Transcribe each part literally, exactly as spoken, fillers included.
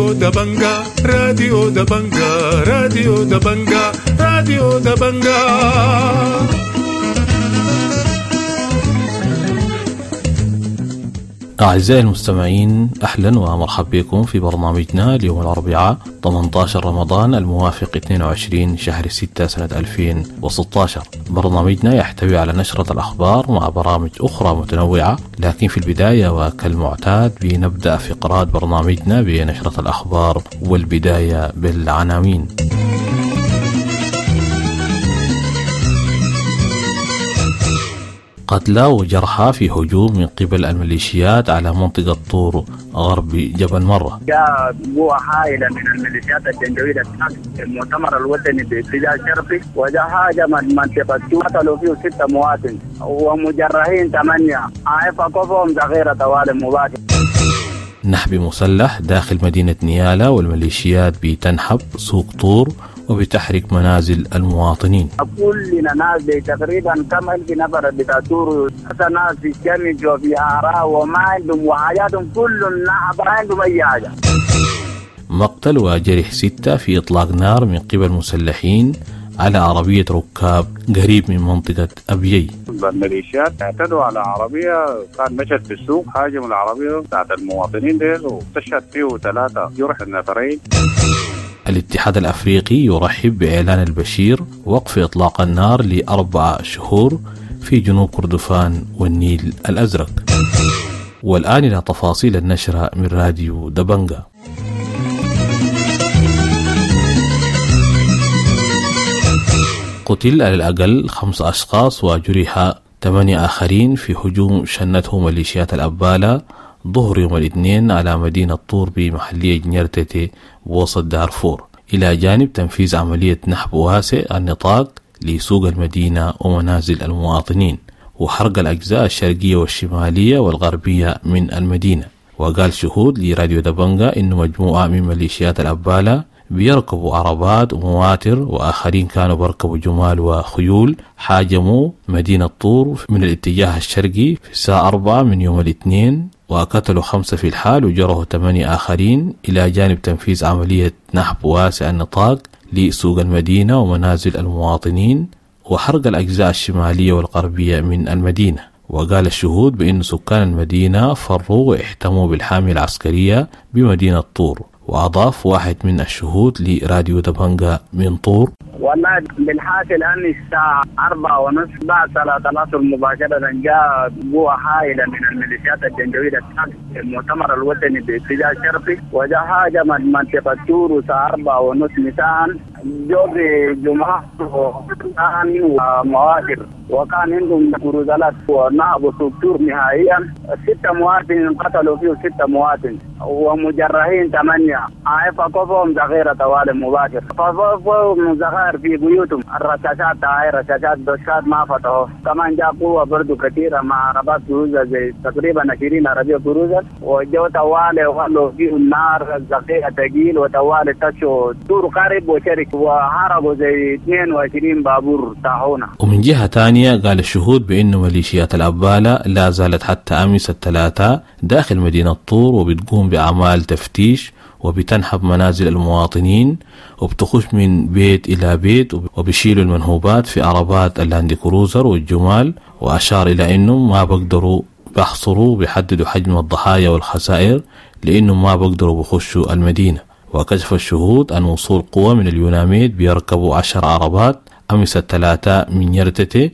راديو دبنجا، راديو دبنجا، راديو دبنجا، راديو دبنجا. أعزائي المستمعين، أهلا ومرحبا بكم في برنامجنا اليوم الأربعاء ثمانية عشر رمضان الموافق اثنين وعشرين شهر ستة سنة ألفين وستة عشر. برنامجنا يحتوي على نشرة الأخبار مع برامج أخرى متنوعة، لكن في البداية وكالمعتاد بنبدأ فقرات برنامجنا بنشرة الأخبار، والبداية بالعناوين. قتلى وجرحى في هجوم من قبل الميليشيات على منطقة طور غرب جبل مرة. جاء قوة هائلة من الميليشيات الجنجويد المؤتمر الوطني باتجاه شرقي، وجاء هاجم منطقة طور، قتلوا فيه ستة مواطن ومجرحين ثمانية، عائفة كفهم ذخيرة طوال مباشر. نحب مسلح داخل مدينة نيالا، والميليشيات بتنحب سوق طور وبتحرق منازل المواطنين. كلنا ناس تقريبا كم ألف نفر بتاع طور، ناس في الشمس وفي آراء وما عندهم وحياتهم كل النعب، ما عندهم أي حاجة. مقتل وجرح ستة في إطلاق نار من قبل مسلحين على عربية ركاب قريب من منطقة أبيي. الميليشيات اعتدوا على عربية كان مشت في السوق، هاجموا العربية بتاعت المواطنين ديل واستشهد فيه ثلاثة جرح النفرين. الاتحاد الأفريقي يرحب بإعلان البشير وقف إطلاق النار لأربع شهور في جنوب كردفان والنيل الأزرق. والآن إلى تفاصيل النشرة من راديو دبنجا. قتل على الأقل خمس أشخاص وجرح ثمانية آخرين في هجوم شنته ميليشيات الأبالة ظهر يوم الاثنين على مدينة طور بمحلية جنيرتتي بوسط دارفور، إلى جانب تنفيذ عملية نحب واسع النطاق لسوق المدينة ومنازل المواطنين وحرق الأجزاء الشرقية والشمالية والغربية من المدينة. وقال شهود لراديو دبنجا إن مجموعة من ميليشيات الأبالة بيركبوا عربات ومواتر، وآخرين كانوا بيركبوا جمال وخيول، حاجموا مدينة طور من الاتجاه الشرقي في الساعة أربعة من يوم الاثنين، وقتلوا خمسة في الحال وجرحوا ثمانية آخرين، إلى جانب تنفيذ عملية نحب واسع النطاق لسوق المدينة ومنازل المواطنين وحرق الأجزاء الشمالية والغربية من المدينة. وقال الشهود بأن سكان المدينة فروا واحتموا بالحامية العسكرية بمدينة طور. وأضاف واحد من الشهود لراديو دبنجا من طور: والله بالحاصل أن الساعة أربعة ونصف بعد صلاة العصر مباشرة جاء قوة هائلة من الميليشيات الجنجويد المؤتمر الوطني باتجاه شرقي، وجاء هاجم منطقة طور الساعة أربعة ونصف مساء، جو بجمعة ومواكب، وكان عندهم كروزالات ونهبوا سوق طور نهائيا. ستة مواطن قتلوا فيه ستة مواطن ومجرحين ثمانية، عائفة كفهم ذخيرة طوال مباشر، ففوقهم ذخائر في بيوتهم، الرشاشات هاي رشاشات دشات ما فتحوا. كمان جاء قوة برضو كثيرة مع عربات كروزة زي تقريبا عشرين عربية كروزة، وجو طوال وخلوا فيه النار ذخيرة ثقيل، وطوال تشوا طور قرب وشرك، وهربوا زي اثنين وعشرين بابور طاحونا. ومن جهة ثانية قال الشهود بأن ميليشيات الأبالة لا زالت حتى أمس الثلاثاء داخل مدينة طور، وبتقوم بأعمال تفتيش وبتنحب منازل المواطنين، وبتخش من بيت إلى بيت، وبيشيلوا المنهوبات في عربات اللاند كروزر والجمال. وأشار إلى أنه ما بقدروا بحصروا بيحددوا حجم الضحايا والخسائر لأنه ما بقدروا بخشوا المدينة. وكشف الشهود أن وصول قوة من اليوناميد بيركبوا عشر عربات أمس الثلاثاء من يرتتي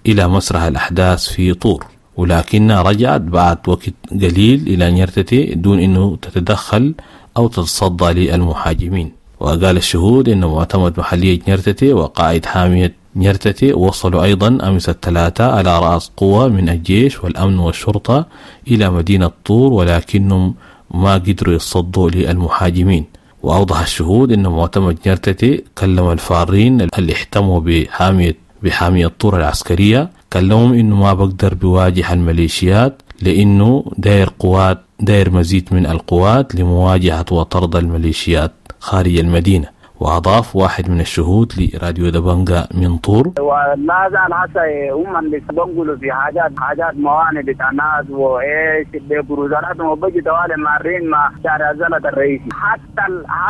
إلى مسرح الأحداث في طور، ولكنها رجعت بعد وقت قليل إلى نيرتتي دون أنه تتدخل أو تتصدى للمهاجمين. وقال الشهود أن معتمد محلية نيرتتي وقائد حامية نيرتتي وصلوا أيضا أمس الثلاثاء على رأس قوة من الجيش والأمن والشرطة إلى مدينة طور، ولكنهم ما قدروا يتصدوا للمهاجمين. وأوضح الشهود أن معتمد نيرتتي كلم الفارين اللي احتموا بحامية بحامية طور العسكرية، كلمهم إنه ما بقدر بواجه الميليشيات لأنه داير قوات داير مزيد من القوات لمواجهة وطرد الميليشيات خارج المدينة. وأضاف واحد من الشهود لراديو دبنجا من طور: ولا زال هسه هم اللي بنقلوا في حاجات حاجات موانئ بتاع ناس وايش بكروزراتهم وبجي طوالي مارين مع شارع زلط الرئيسي، حتى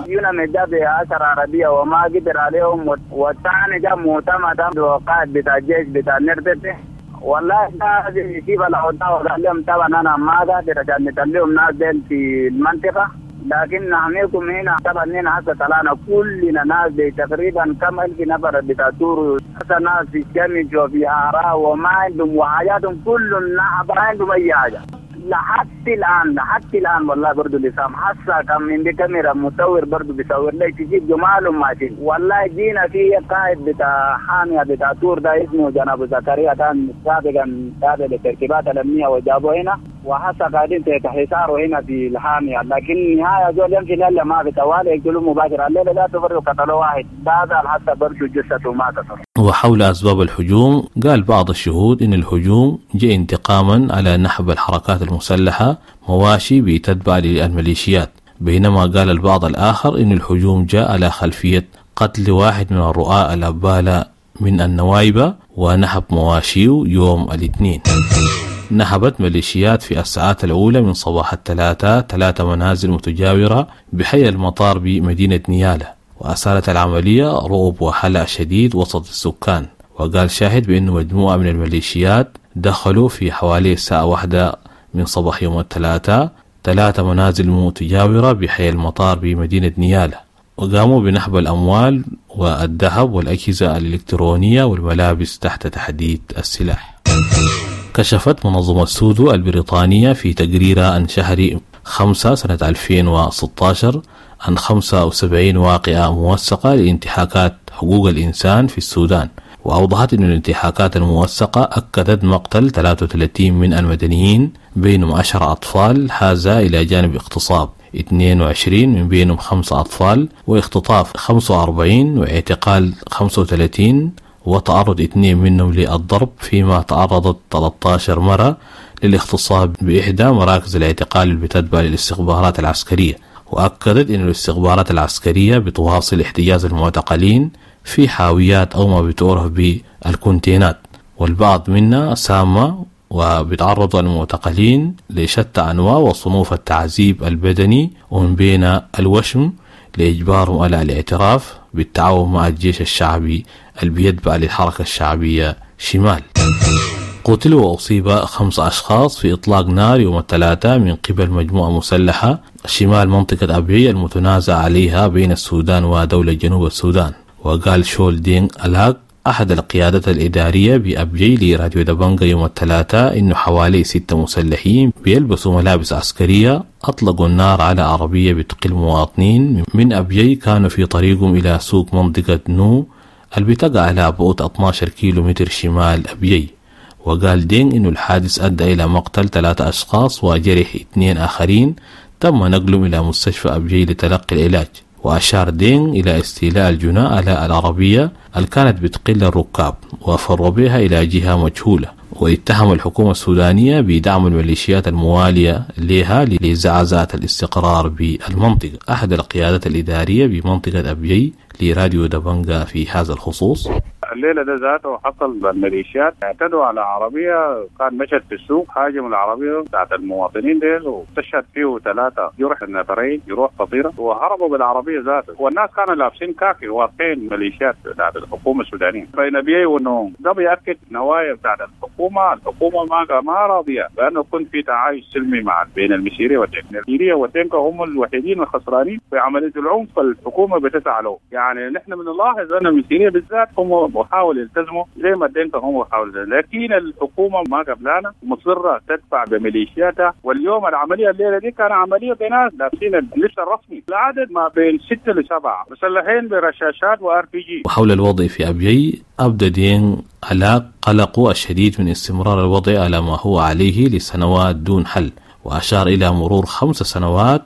اليوناميد ده بعشر عربية وما قدر عليهم، والثاني جاء معتمد وقائد بتاع الجيش بتاع نرتبه والله ده يجيب الأوضاع وقال لهم طبعا أنا ما قادر عشان نتليهم ناس دين في المنطقة، لكن نحميكم هنا. طبعا هنا هسه طلعنا كلنا ناس دي تقريبا كم ألف نفر بتاع تور، هسه ناس في الشمس وفي آراء وما عندهم وحاجاتهم كلهم ما عندهم أي حاجة لحد الآن، لحد الآن والله برضو لسام حسا كان من دي كاميرا مصور برضو بيصور لي تجيب جمالهم ماشيين. والله جينا في قائد بتاع حامية بتاع تور ده اسمه جناب زكريا، كان سابقا تابع للترتيبات الأمنية وجابوه هنا، وحسا قاعدين تحت حصاره هنا في الحامية، لكن نهاية زول يمشي لله ما في طوال يقتلوا مباشرة الليلة لا تفرق قتلوا واحد بعد حتى برضو جثته ما تصل. وحول أسباب الهجوم قال بعض الشهود إن الهجوم جاء انتقاما على نحب الحركات المسلحة مواشي بتتبع للميليشيات، بينما قال البعض الآخر إن الهجوم جاء على خلفية قتل واحد من الرؤاء الأبالة من النوايبة ونحب مواشيه يوم الاثنين. نهبت ميليشيات في الساعات الأولى من صباح الثلاثاء ثلاثة منازل متجاورة بحي المطار بمدينة نيالة، وأثارت العملية رعب وهلع شديد وسط السكان. وقال شاهد بأن مجموعة من الميليشيات دخلوا في حوالي الساعة واحدة من صباح يوم الثلاثاء ثلاثة منازل متجاورة بحي المطار بمدينة نيالة، وقاموا بنهب الأموال والذهب والأجهزة الإلكترونية والملابس تحت تحديد السلاح. كشفت منظمة سودو البريطانية في تقريرها عن شهر خمسة سنة ألفين وستة عشر عن خمسة وسبعين واقعة موثقة لانتهاكات حقوق الإنسان في السودان، وأوضحت أن الانتهاكات الموثقة أكدت مقتل ثلاثة وثلاثين من المدنيين بينهم عشرة أطفال، هذا إلى جانب اغتصاب اثنين وعشرين من بينهم خمسة أطفال، واختطاف خمسة وأربعين، واعتقال خمسة وثلاثين، وتعرض اثنين منهم للضرب، فيما تعرضت ثلاثة عشر مرة للاغتصاب بإحدى مراكز الاعتقال اللي بتتبع للاستخبارات العسكرية. وأكدت أن الاستخبارات العسكرية بتواصل احتجاز المعتقلين في حاويات أو ما بتعرف بالكونتينات، والبعض منا سامة، وبيتعرض المعتقلين لشتى أنواع وصنوف التعذيب البدني ومن بين الوشم لإجبارهم على الاعتراف بالتعاون مع الجيش الشعبي اللي بيتبع للحركة الشعبية شمال. قتل وأصيب خمس أشخاص في إطلاق نار يوم الثلاثاء من قبل مجموعة مسلحة شمال منطقة أبيي المتنازع عليها بين السودان ودولة جنوب السودان. وقال شول دين ألاك أحد القيادات الإدارية بأبيي لراديو دبنجا يوم الثلاثاء إنه حوالي ستة مسلحين بيلبسوا ملابس عسكرية أطلقوا النار على عربية بتقل مواطنين من أبيي كانوا في طريقهم إلى سوق منطقة نو اللي بتقع على بعد اثني عشر كيلو متر شمال أبيي. وقال دين إنه الحادث أدى إلى مقتل ثلاثة أشخاص وجرح اثنين آخرين تم نقلهم إلى مستشفى أبيي لتلقي العلاج. وأشار دين إلى استيلاء الجناة على العربية اللي كانت بتقل الركاب وفروا بها إلى جهة مجهولة. واتهم الحكومة السودانية بدعم الميليشيات الموالية لها لزعزعة الاستقرار بالمنطقة. أحد القيادات الإدارية بمنطقة أبيي لراديو دبنجا في هذا الخصوص: الليلة ده ذاته حصل الميليشيات اعتدوا على عربية كان مشت في السوق، هاجموا العربية بتاعت المواطنين ديل واستشهد فيه ثلاثة جرح النفرين جروح خطيرة وهربوا بالعربية ذاته، والناس كانوا لابسين كاكي واقفين ميليشيات بتاعت الحكومة السودانية بين بيي ونوم. ده بيأكد نوايا بتاعت الحكومة، الحكومة ما ما راضية لأنه كنت في تعايش سلمي مع بين المسيرية والدينكا، المسيرية والدينكا هم الوحيدين الخسرانين في عملية العنف، الحكومة بتسعى له. يعني نحن بنلاحظ أن المسيرية بالذات هم بحاول يلتزموا زي ما الدينكا هم بحاول، لكن الحكومة ما قبلانا مصرة تدفع بميليشياتها. واليوم العملية الليلة دي كان عملية بناس لابسين اللبس الرسمي، العدد ما بين ستة لسبعة مسلحين برشاشات وار بي جي. وحول الوضع في أبيي أبدى دين على قلقه الشديد من استمرار الوضع على ما هو عليه لسنوات دون حل، وأشار إلى مرور خمس سنوات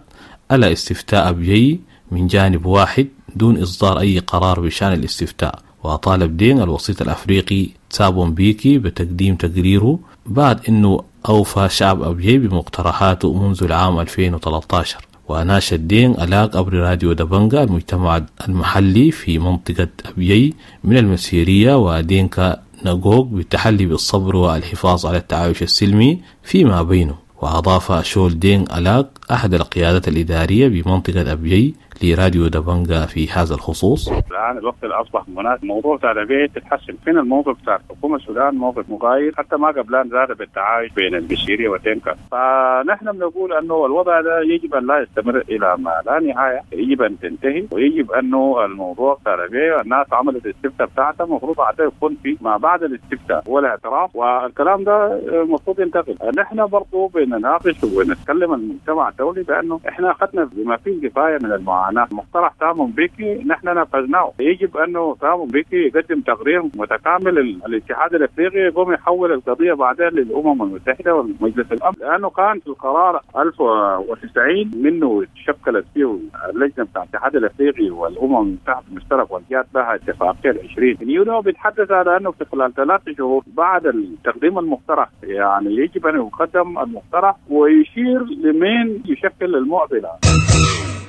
على استفتاء أبيي من جانب واحد دون إصدار أي قرار بشأن الاستفتاء. وطالب دين الوسيط الأفريقي تابون بيكي بتقديم تقريره بعد أنه أوفى شعب أبيي بمقترحاته منذ العام ألفين وثلاثة عشر. وناشد دينق ألاك عبر راديو دبنجا المجتمع المحلي في منطقة أبيي من المسيرية ودينكا نقوق بالتحلي بالصبر والحفاظ على التعايش السلمي فيما بينه. وأضاف شول دينق ألاك أحد القيادات الإدارية بمنطقة أبيي لراديو دبنجا في هذا الخصوص: الآن الوقت اللي أصبح مناسب الموضوع بتاع الأبيي تتحسن، فين الموقف بتاع الحكومة السودان موقف مغاير حتى ما قبلان زاد بالتعايش بين المسيرية ودينكا. فنحن بنقول أنه الوضع ده يجب أن لا يستمر إلى ما لا نهاية، يجب أن تنتهي، ويجب أنه الموضوع بتاع الأبيي الناس عملت الاستفتاء بتاعتها المفروض بعدها يكون في ما بعد الاستفتاء ولا اعتراف، والكلام ده المفروض ينتقل. نحن برضه بنناقش ونتكلم المجتمع الدولي بأنه إحنا أخذنا بما فيه الكفاية من المعاناة. مقترح ثامون بيكي نحن نفذناه، يجب انه ثامون بيكي يقدم تقرير متكامل للاتحاد الافريقي يقوم يحول القضيه بعدين للامم المتحده والمجلس الامن، لانه كان في القرار ألف وتسعين منه تشكلت فيه اللجنه بتاع الاتحاد الافريقي والامم المتحده المشترك والجات لها اتفاقيه العشرين من يونيو بيتحدث على انه في خلال ثلاث شهور بعد تقديم المقترح، يعني يجب ان يقدم المقترح ويشير لمين يشكل المعضله.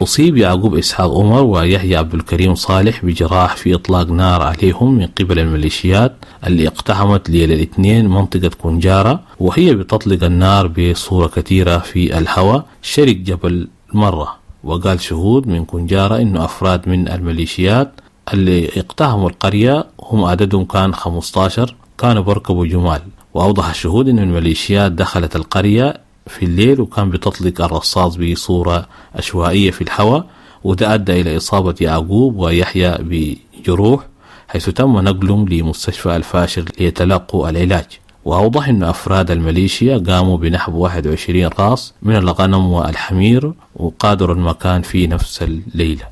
أصيب يعقوب إسحاق عمر ويحيى عبد الكريم صالح بجراح في إطلاق نار عليهم من قبل الميليشيات اللي اقتحمت ليلة الاثنين منطقة كونجارة، وهي بتطلق النار بصورة كثيرة في الهواء شرق جبل مرة. وقال شهود من كونجارة إنه أفراد من الميليشيات اللي اقتحموا القرية هم عددهم كان خمسة عشر كانوا بركبوا جمال. وأوضح الشهود إن الميليشيات دخلت القرية في الليل وكان بتطلق الرصاص بصورة عشوائية في الهواء، وده أدى إلى إصابة يعقوب ويحيى بجروح حيث تم نقلهم لمستشفى الفاشر ليتلقوا العلاج. وأوضح أن أفراد الميليشيا قاموا بنحو واحد وعشرين راس من الغنم والحمير وقادروا المكان في نفس الليلة.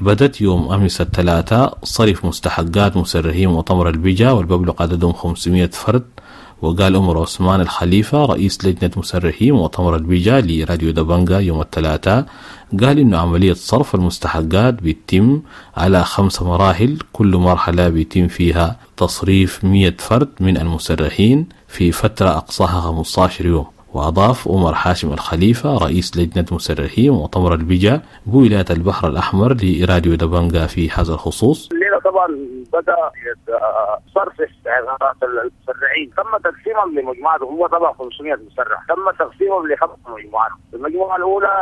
بدت يوم أمس الثلاثاء صرف مستحقات مسرحي مؤتمر البجا والمبلغ عددهم خمسمائة فرد. وقال عمر عثمان الخليفة رئيس لجنة مسرحي مؤتمر البجا لراديو دبنجا يوم الثلاثاء قال إنه عملية صرف المستحقات بيتم على خمس مراحل، كل مرحلة بيتم فيها تصريف مئة فرد من المسرحين في فترة أقصاها خمسة عشر يوم. وأضاف عمر حاشم الخليفة رئيس لجنة مسرحي مؤتمر البجا بولاية البحر الأحمر لراديو دبنجا في هذا الخصوص: الليلة طبعا بدأ صرف استحقاقات المسرحين، تم تقسيمهم لمجموعات، هو طبعا خمسمائة مسرح، تم تقسيمهم لخمس مجموعات. المجموعة الأولى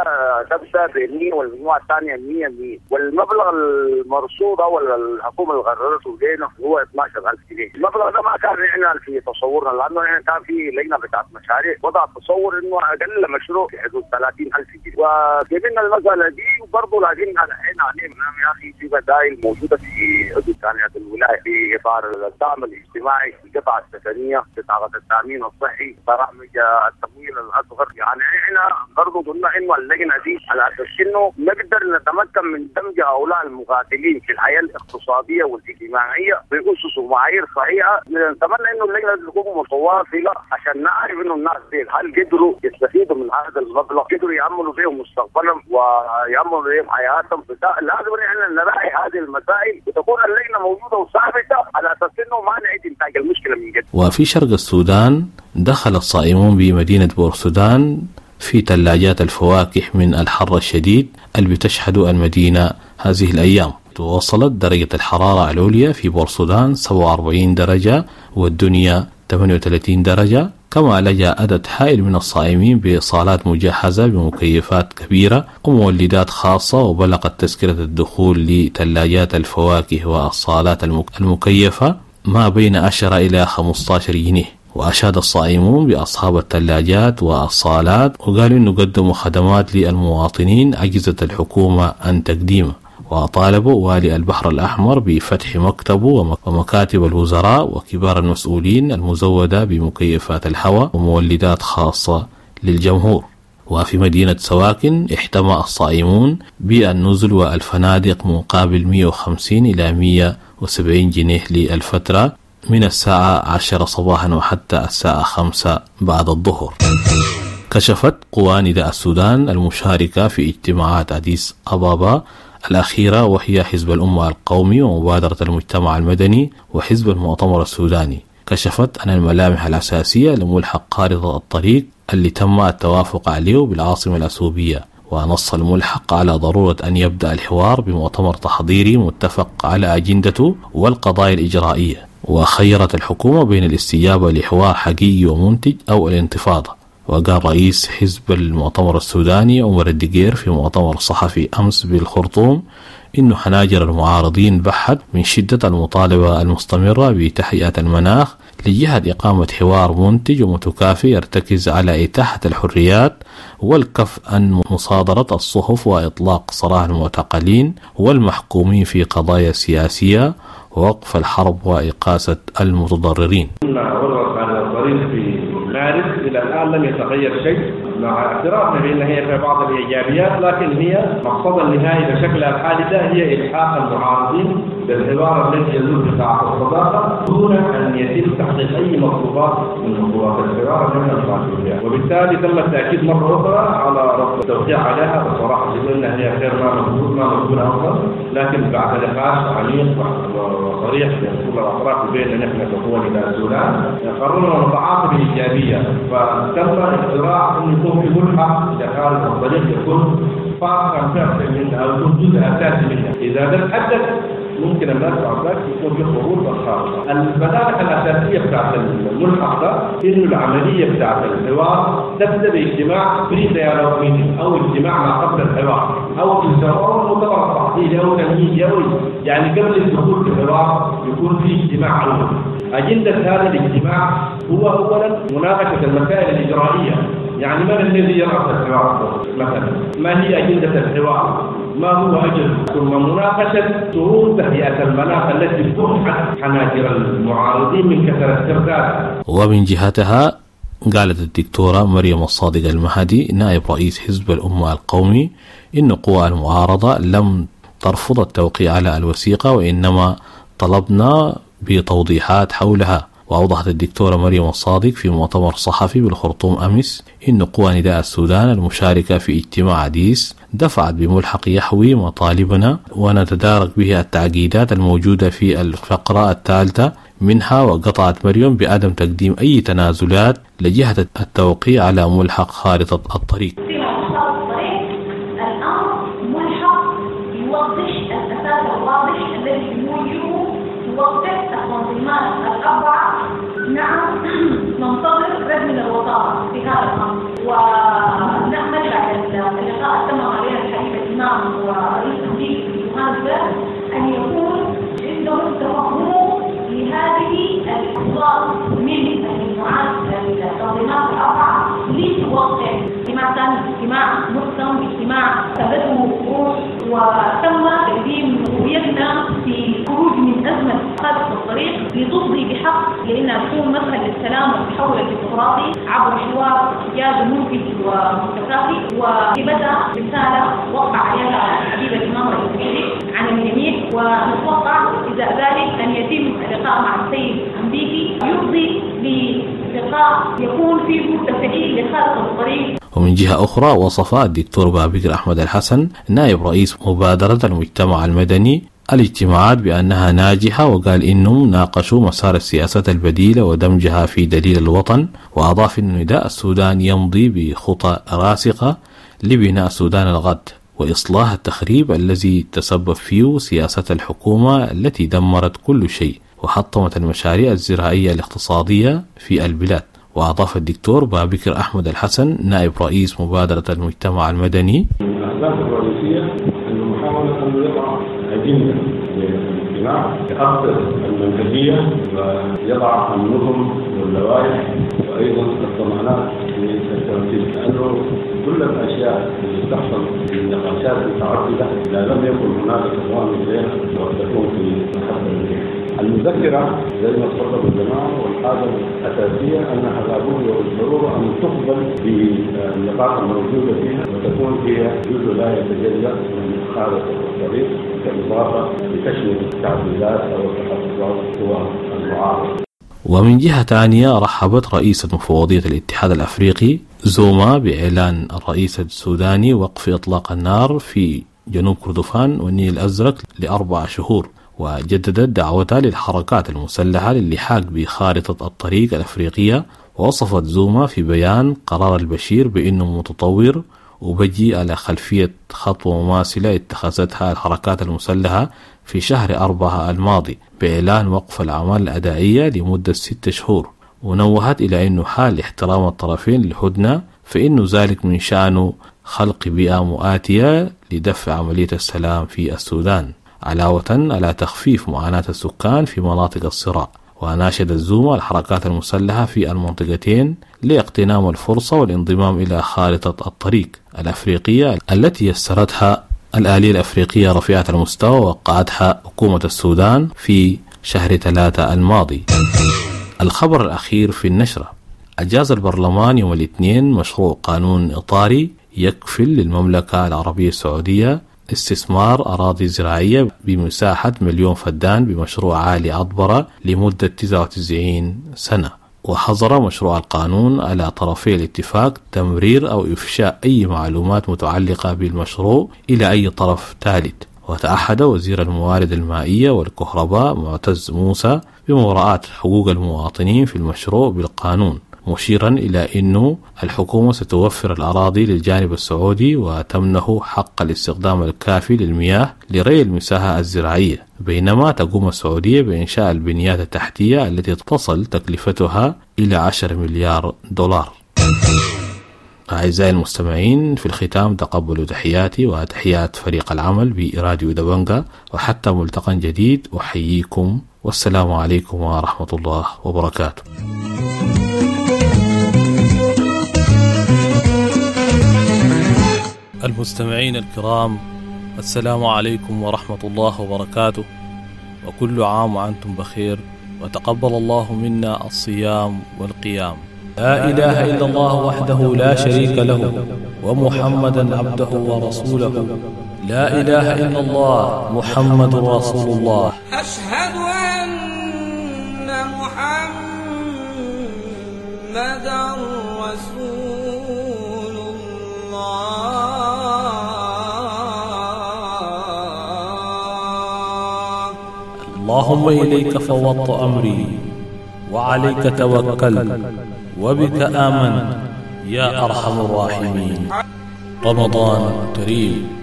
تبدأ ب مئة والمجموعة الثانية مئة مئة، والمبلغ المرصود أو الحكومة اللي قررته لنا هو اثنا عشر ألف جنيه. المبلغ ده ما كان احنا في تصورنا، لأنه احنا كان في لجنة بتاعت مشاريع وضع تصور إنه أقل مشروع في حدود ثلاثين ألف جنيه، وجبنا المسألة دي وبرضه لازم احنا علينا يا أخي في بدائل موجودة في حدود ثانية الولاية في إطار الدعم الاجتماعي، القطع السكنية، بطاقة التأمين الصحي، برامج التمويل الأصغر. يعني احنا برضه قلنا إنه اللجنة دي على أساس إنه نقدر نتمكن من دمج هؤلاء المقاتلين في الحياة الاقتصادية والاجتماعية بأسس ومعايير صحيحة. نتمنى إنه اللجنة دي تكون متواصلة عشان نعرف إنه الناس دي هل قدروا يستفيدوا من هذا المبلغ، قدروا يعملوا بهم مستقبلهم ويعملوا بهم حياتهم. لازم احنا نراعي هذه المسائل وتكون اللجنة موجودة وثابتة على أساس إنه ما نعيد إنتاج المشكلة من جديد. وفي شرق السودان دخل الصائمون بمدينة بورسودان في ثلاجات الفواكه من الحر الشديد اللي بتشهد المدينة هذه الأيام. وصلت درجة الحرارة العليا في بورسودان سبعة وأربعين درجة والدنيا ثمانية وثلاثين درجة، كما لجأ عدد هائل من الصائمين بصالات مجهزة بمكيفات كبيرة ومولدات خاصة، وبلغت تذكرة الدخول لثلاجات الفواكه والصالات المكيفة ما بين عشرة إلى خمسة عشر جنيه. وأشاد الصائمون بأصحاب الثلاجات والصالات وقالوا إنه قدموا خدمات للمواطنين عجزت الحكومة عن تقديمها. وطالبوا والي البحر الأحمر بفتح مكتبه ومكاتب الوزراء وكبار المسؤولين المزودة بمكيفات الهواء ومولدات خاصة للجمهور. وفي مدينة سواكن احتمى الصائمون بالنزل والفنادق مقابل مئة وخمسين إلى مئة وسبعين جنيه للفترة من الساعة عشرة صباحا وحتى الساعة خمسة بعد الظهر. كشفت قوى نداء السودان المشاركة في اجتماعات أديس أبابا الأخيرة، وهي حزب الأمة القومي ومبادرة المجتمع المدني وحزب المؤتمر السوداني، كشفت عن الملامح الأساسية لملحق خارطة الطريق اللي تم التوافق عليه بالعاصمة الأثيوبية. ونص الملحق على ضرورة أن يبدأ الحوار بمؤتمر تحضيري متفق على أجندته والقضايا الإجرائية. وخيرت الحكومة بين الاستجابة لحوار حقيقي ومنتج أو الانتفاضة. وقال رئيس حزب المؤتمر السوداني عمر الدقير في مؤتمر صحفي أمس بالخرطوم إنه حناجر المعارضين بحت من شدة المطالبة المستمرة بتهيئة المناخ لجهة إقامة حوار منتج ومتكافئ يرتكز على إتاحة الحريات والكف عن مصادرة الصحف وإطلاق سراح المعتقلين والمحكومين في قضايا سياسية ووقف الحرب وإقاسة المتضررين. في مارس إلى الآن لم يتغير شيء، مع اعترافنا بأن هي في بعض الإيجابيات، لكن هي مقصدها النهائي بشكلها الحالي ده هي إلحاق المعارضين بالحوار الذي يدور بقاعة الصداقة دون أن يتم تحقيق أي مطلوبات من مطلوبات الحوار التي نطالب بها، وبالتالي تم التأكيد مرة أخرى على رفض التوقيع عليها. بصراحة أنها هي غير ما مقبول ما مقبولة أصلا، لكن بعد نقاش عميق وصريح بين كل الأطراف وبيننا نحن كقوة نداء السودان قررنا نتعاطى بإيجابية، فتم اقتراح أن يكون في ملحق إلى خارج الطريق يكون فارقا فعلا منها أو يكون جزء أساسي منها. إذا ده تحدث ممكن الناس بعد ذلك يكون في قبول بالخارطة. الملامح الأساسية بتاعت الملحق ده إنه العملية بتاعت الحوار تبدأ باجتماع pre-dialogue meeting أو اجتماع ما قبل الحوار أو يسموه مؤتمر تحضيري أو تمهيدي، أو يعني قبل الدخول في الحوار يكون في اجتماع أول. أجندة هذا الاجتماع هو أولا مناقشة المسائل الإجرائية، يعني من الذي يرأس الحوار مثلا، ما هي أجندة الحوار، ما هو أجل، ثم مناقشة شروط تهيئة المناخ التي فتحت حناجر المعارضين من كثرة استردادها. ومن جهتها قالت الدكتورة مريم الصادق المهدي نائب رئيس حزب الأمة القومي إن قوى المعارضة لم ترفض التوقيع على الوثيقة، وإنما طلبنا بتوضيحات حولها. وأوضحت الدكتورة مريم الصادق في مؤتمر صحفي بالخرطوم أمس إن قوى نداء السودان المشاركة في اجتماع أديس دفعت بملحق يحوي مطالبنا ونتدارك به التعقيدات الموجودة في الفقرة الثالثة منها. وقطعت مريم بعدم تقديم أي تنازلات لجهة التوقيع على ملحق خارطة الطريق. نعم، ننتظر رد من الوزارة في هذا الأمر، ونأمل بعد اللقاء تم عليها الحبيب الإمام ورئيس الجيش في جوهانسبرغ أن يكون عندهم تفهم لهذه الأخبار من المجموعات التنظيمات الأربعة لتوقع. اجتماع ثاني اجتماع محكم، اجتماع ثبته روح، وتم تقديم رؤيتنا في خروج من أزمة خارطة الطريق لتفضي بحق لأنها تكون مدخل للسلام والتحول الديمقراطي عبر حوار جاد منتج ومتكافئ. وبدأ رسالة وقع عليها حبيب الإمام رئيس الحزب عن الجميع، ونتوقع إذا ذلك أن يتم اللقاء مع السيد أمبيكي يفضي للقاء يكون فيه تفعيل لخارطة الطريق. ومن جهة أخرى وصف الدكتور بابكر أحمد الحسن نائب رئيس مبادرة المجتمع المدني الاجتماعات بأنها ناجحة، وقال إنهم ناقشوا مسار السياسات البديلة ودمجها في دليل الوطن. وأضاف أن نداء السودان يمضي بخطى راسخة لبناء السودان الغد وإصلاح التخريب الذي تسبب فيه سياسة الحكومة التي دمرت كل شيء وحطمت المشاريع الزراعية الاقتصادية في البلاد. وأضاف الدكتور بابكر أحمد الحسن نائب رئيس مبادرة المجتمع المدني: الأهداف الرئيسية أن محاولة أن يضع أجندة للاجتماع يأطر المنهجية ويضع النظم واللوائح وأيضا الضمانات للتنفيذ، لأنه كل الأشياء اللي تحصل في النقاشات المتعددة إذا لم يكن هناك تضامن إليها وتكون في محل الريح. المذكرة زي ما تفضل الجماعة، والحاجة الأساسية أنها لابد وبالضرورة أن تقبل بالنقاط الموجودة فيها وتكون هي جزء لا يتجزأ من خارطة الطريق كإضافة لتشمل التعديلات أو التحفظات هو المعارضة. ومن جهة ثانية رحبت رئيسة مفوضية الاتحاد الأفريقي زوما بإعلان الرئيس السوداني وقف إطلاق النار في جنوب كردفان والنيل الأزرق لأربع شهور، وجددت دعوتها للحركات المسلحة للحاق بخارطة الطريق الأفريقية. ووصفت زوما في بيان قرار البشير بأنه متطور وبجي على خلفية خطوة مماثلة اتخذتها الحركات المسلحة في شهر أربعة الماضي بإعلان وقف الأعمال الأدائية لمدة ستة شهور. ونوهت إلى أنه حال احترام الطرفين للهدنة فإن ذلك من شأنه خلق بيئة مؤاتية لدفع عملية السلام في السودان، علاوة على تخفيف معاناة السكان في مناطق الصراع. وناشد الزوما الحركات المسلحة في المنطقتين لاغتنام الفرصة والانضمام إلى خارطة الطريق الأفريقية التي يسرتها الآلية الأفريقية رفيعة المستوى ووقعتها حكومة السودان في شهر ثلاثة الماضي. الخبر الأخير في النشرة: أجاز البرلمان يوم الاثنين مشروع قانون إطاري يكفل للمملكة العربية السعودية استثمار أراضي زراعية بمساحة مليون فدان بمشروع عالي عطبرة لمدة تسعة وتسعين سنة. وحظر مشروع القانون على طرفي الاتفاق تمرير أو إفشاء أي معلومات متعلقة بالمشروع إلى أي طرف ثالث. وتعهد وزير الموارد المائية والكهرباء معتز موسى بمراعاة حقوق المواطنين في المشروع بالقانون، مشيرا إلى أنه الحكومة ستوفر الأراضي للجانب السعودي وتمنه حق الاستخدام الكافي للمياه لري المساحة الزراعية، بينما تقوم السعودية بإنشاء البنيات التحتية التي تصل تكلفتها إلى عشرة مليار دولار. أعزائي المستمعين، في الختام تقبلوا تحياتي وتحيات فريق العمل براديو دبنجا، وحتى ملتقى جديد أحييكم والسلام عليكم ورحمة الله وبركاته. المستمعين الكرام، السلام عليكم ورحمة الله وبركاته، وكل عام وأنتم بخير، وتقبل الله منا الصيام والقيام. لا إله إلا الله وحده لا شريك له، ومحمدا عبده ورسوله. لا إله إلا الله محمد رسول الله. أشهد أن محمدا رسول الله. اللهم إليك فوضت أمري، وعليك توكلت، وبك آمنت يا أرحم الراحمين. رمضان كريم.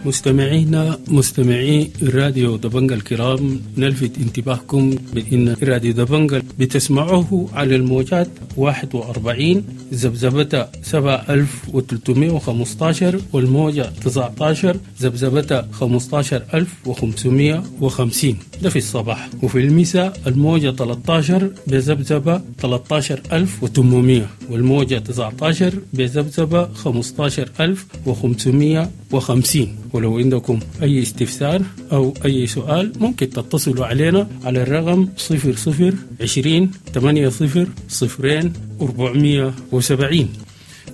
مستمعينا مستمعي راديو دبنجا الكرام، نلفت انتباهكم بأن راديو دبنجا بتسمعوه على الموجات واحد وأربعين ذبذبة سبعة ألف وثلاثمائة وخمسة عشر والموجة تسعة عشر ذبذبة خمسة عشر ألف وخمسمائة وخمسين، ده في الصباح، وفي المساء الموجة ثلاثة عشر بذبذبة ثلاثة عشر ألف وثمانمائة والموجة تسعة عشر بذبذبة خمسة عشر ألف وخمسمائة وخمسين. ولو عندكم أي استفسار أو أي سؤال ممكن تتصلوا علينا على الرقم صفر صفر عشرين ثمانية صفر صفرين أربعمية وسبعين،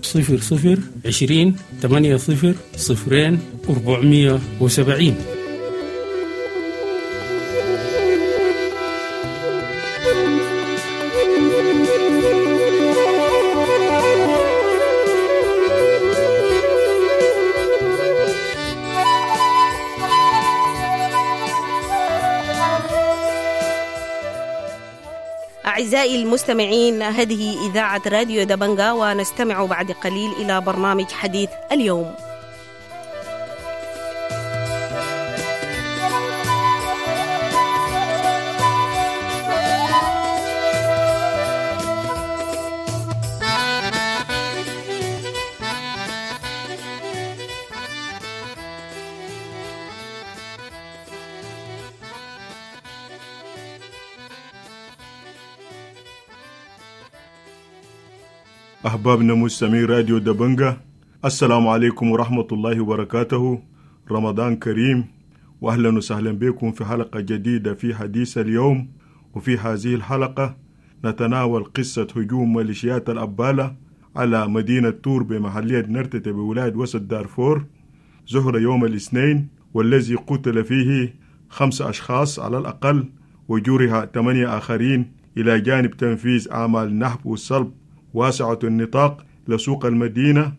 صفر صفر عشرين ثمانية صفر صفرين أربعمية وسبعين. أعزائي المستمعين، هذه إذاعة راديو دبنجا، ونستمع بعد قليل إلى برنامج حديث اليوم. أحبابنا مستمعي راديو دبنجا، السلام عليكم ورحمة الله وبركاته. رمضان كريم، وأهلا وسهلا بكم في حلقة جديدة في حديث اليوم. وفي هذه الحلقة نتناول قصة هجوم ميليشيات الأبالة على مدينة تور بمحلية نرتة بولاية وسط دارفور ظهر يوم الاثنين، والذي قتل فيه خمس أشخاص على الأقل وجرح ثمانية آخرين، إلى جانب تنفيذ أعمال نهب والسلب واسعة النطاق لسوق المدينة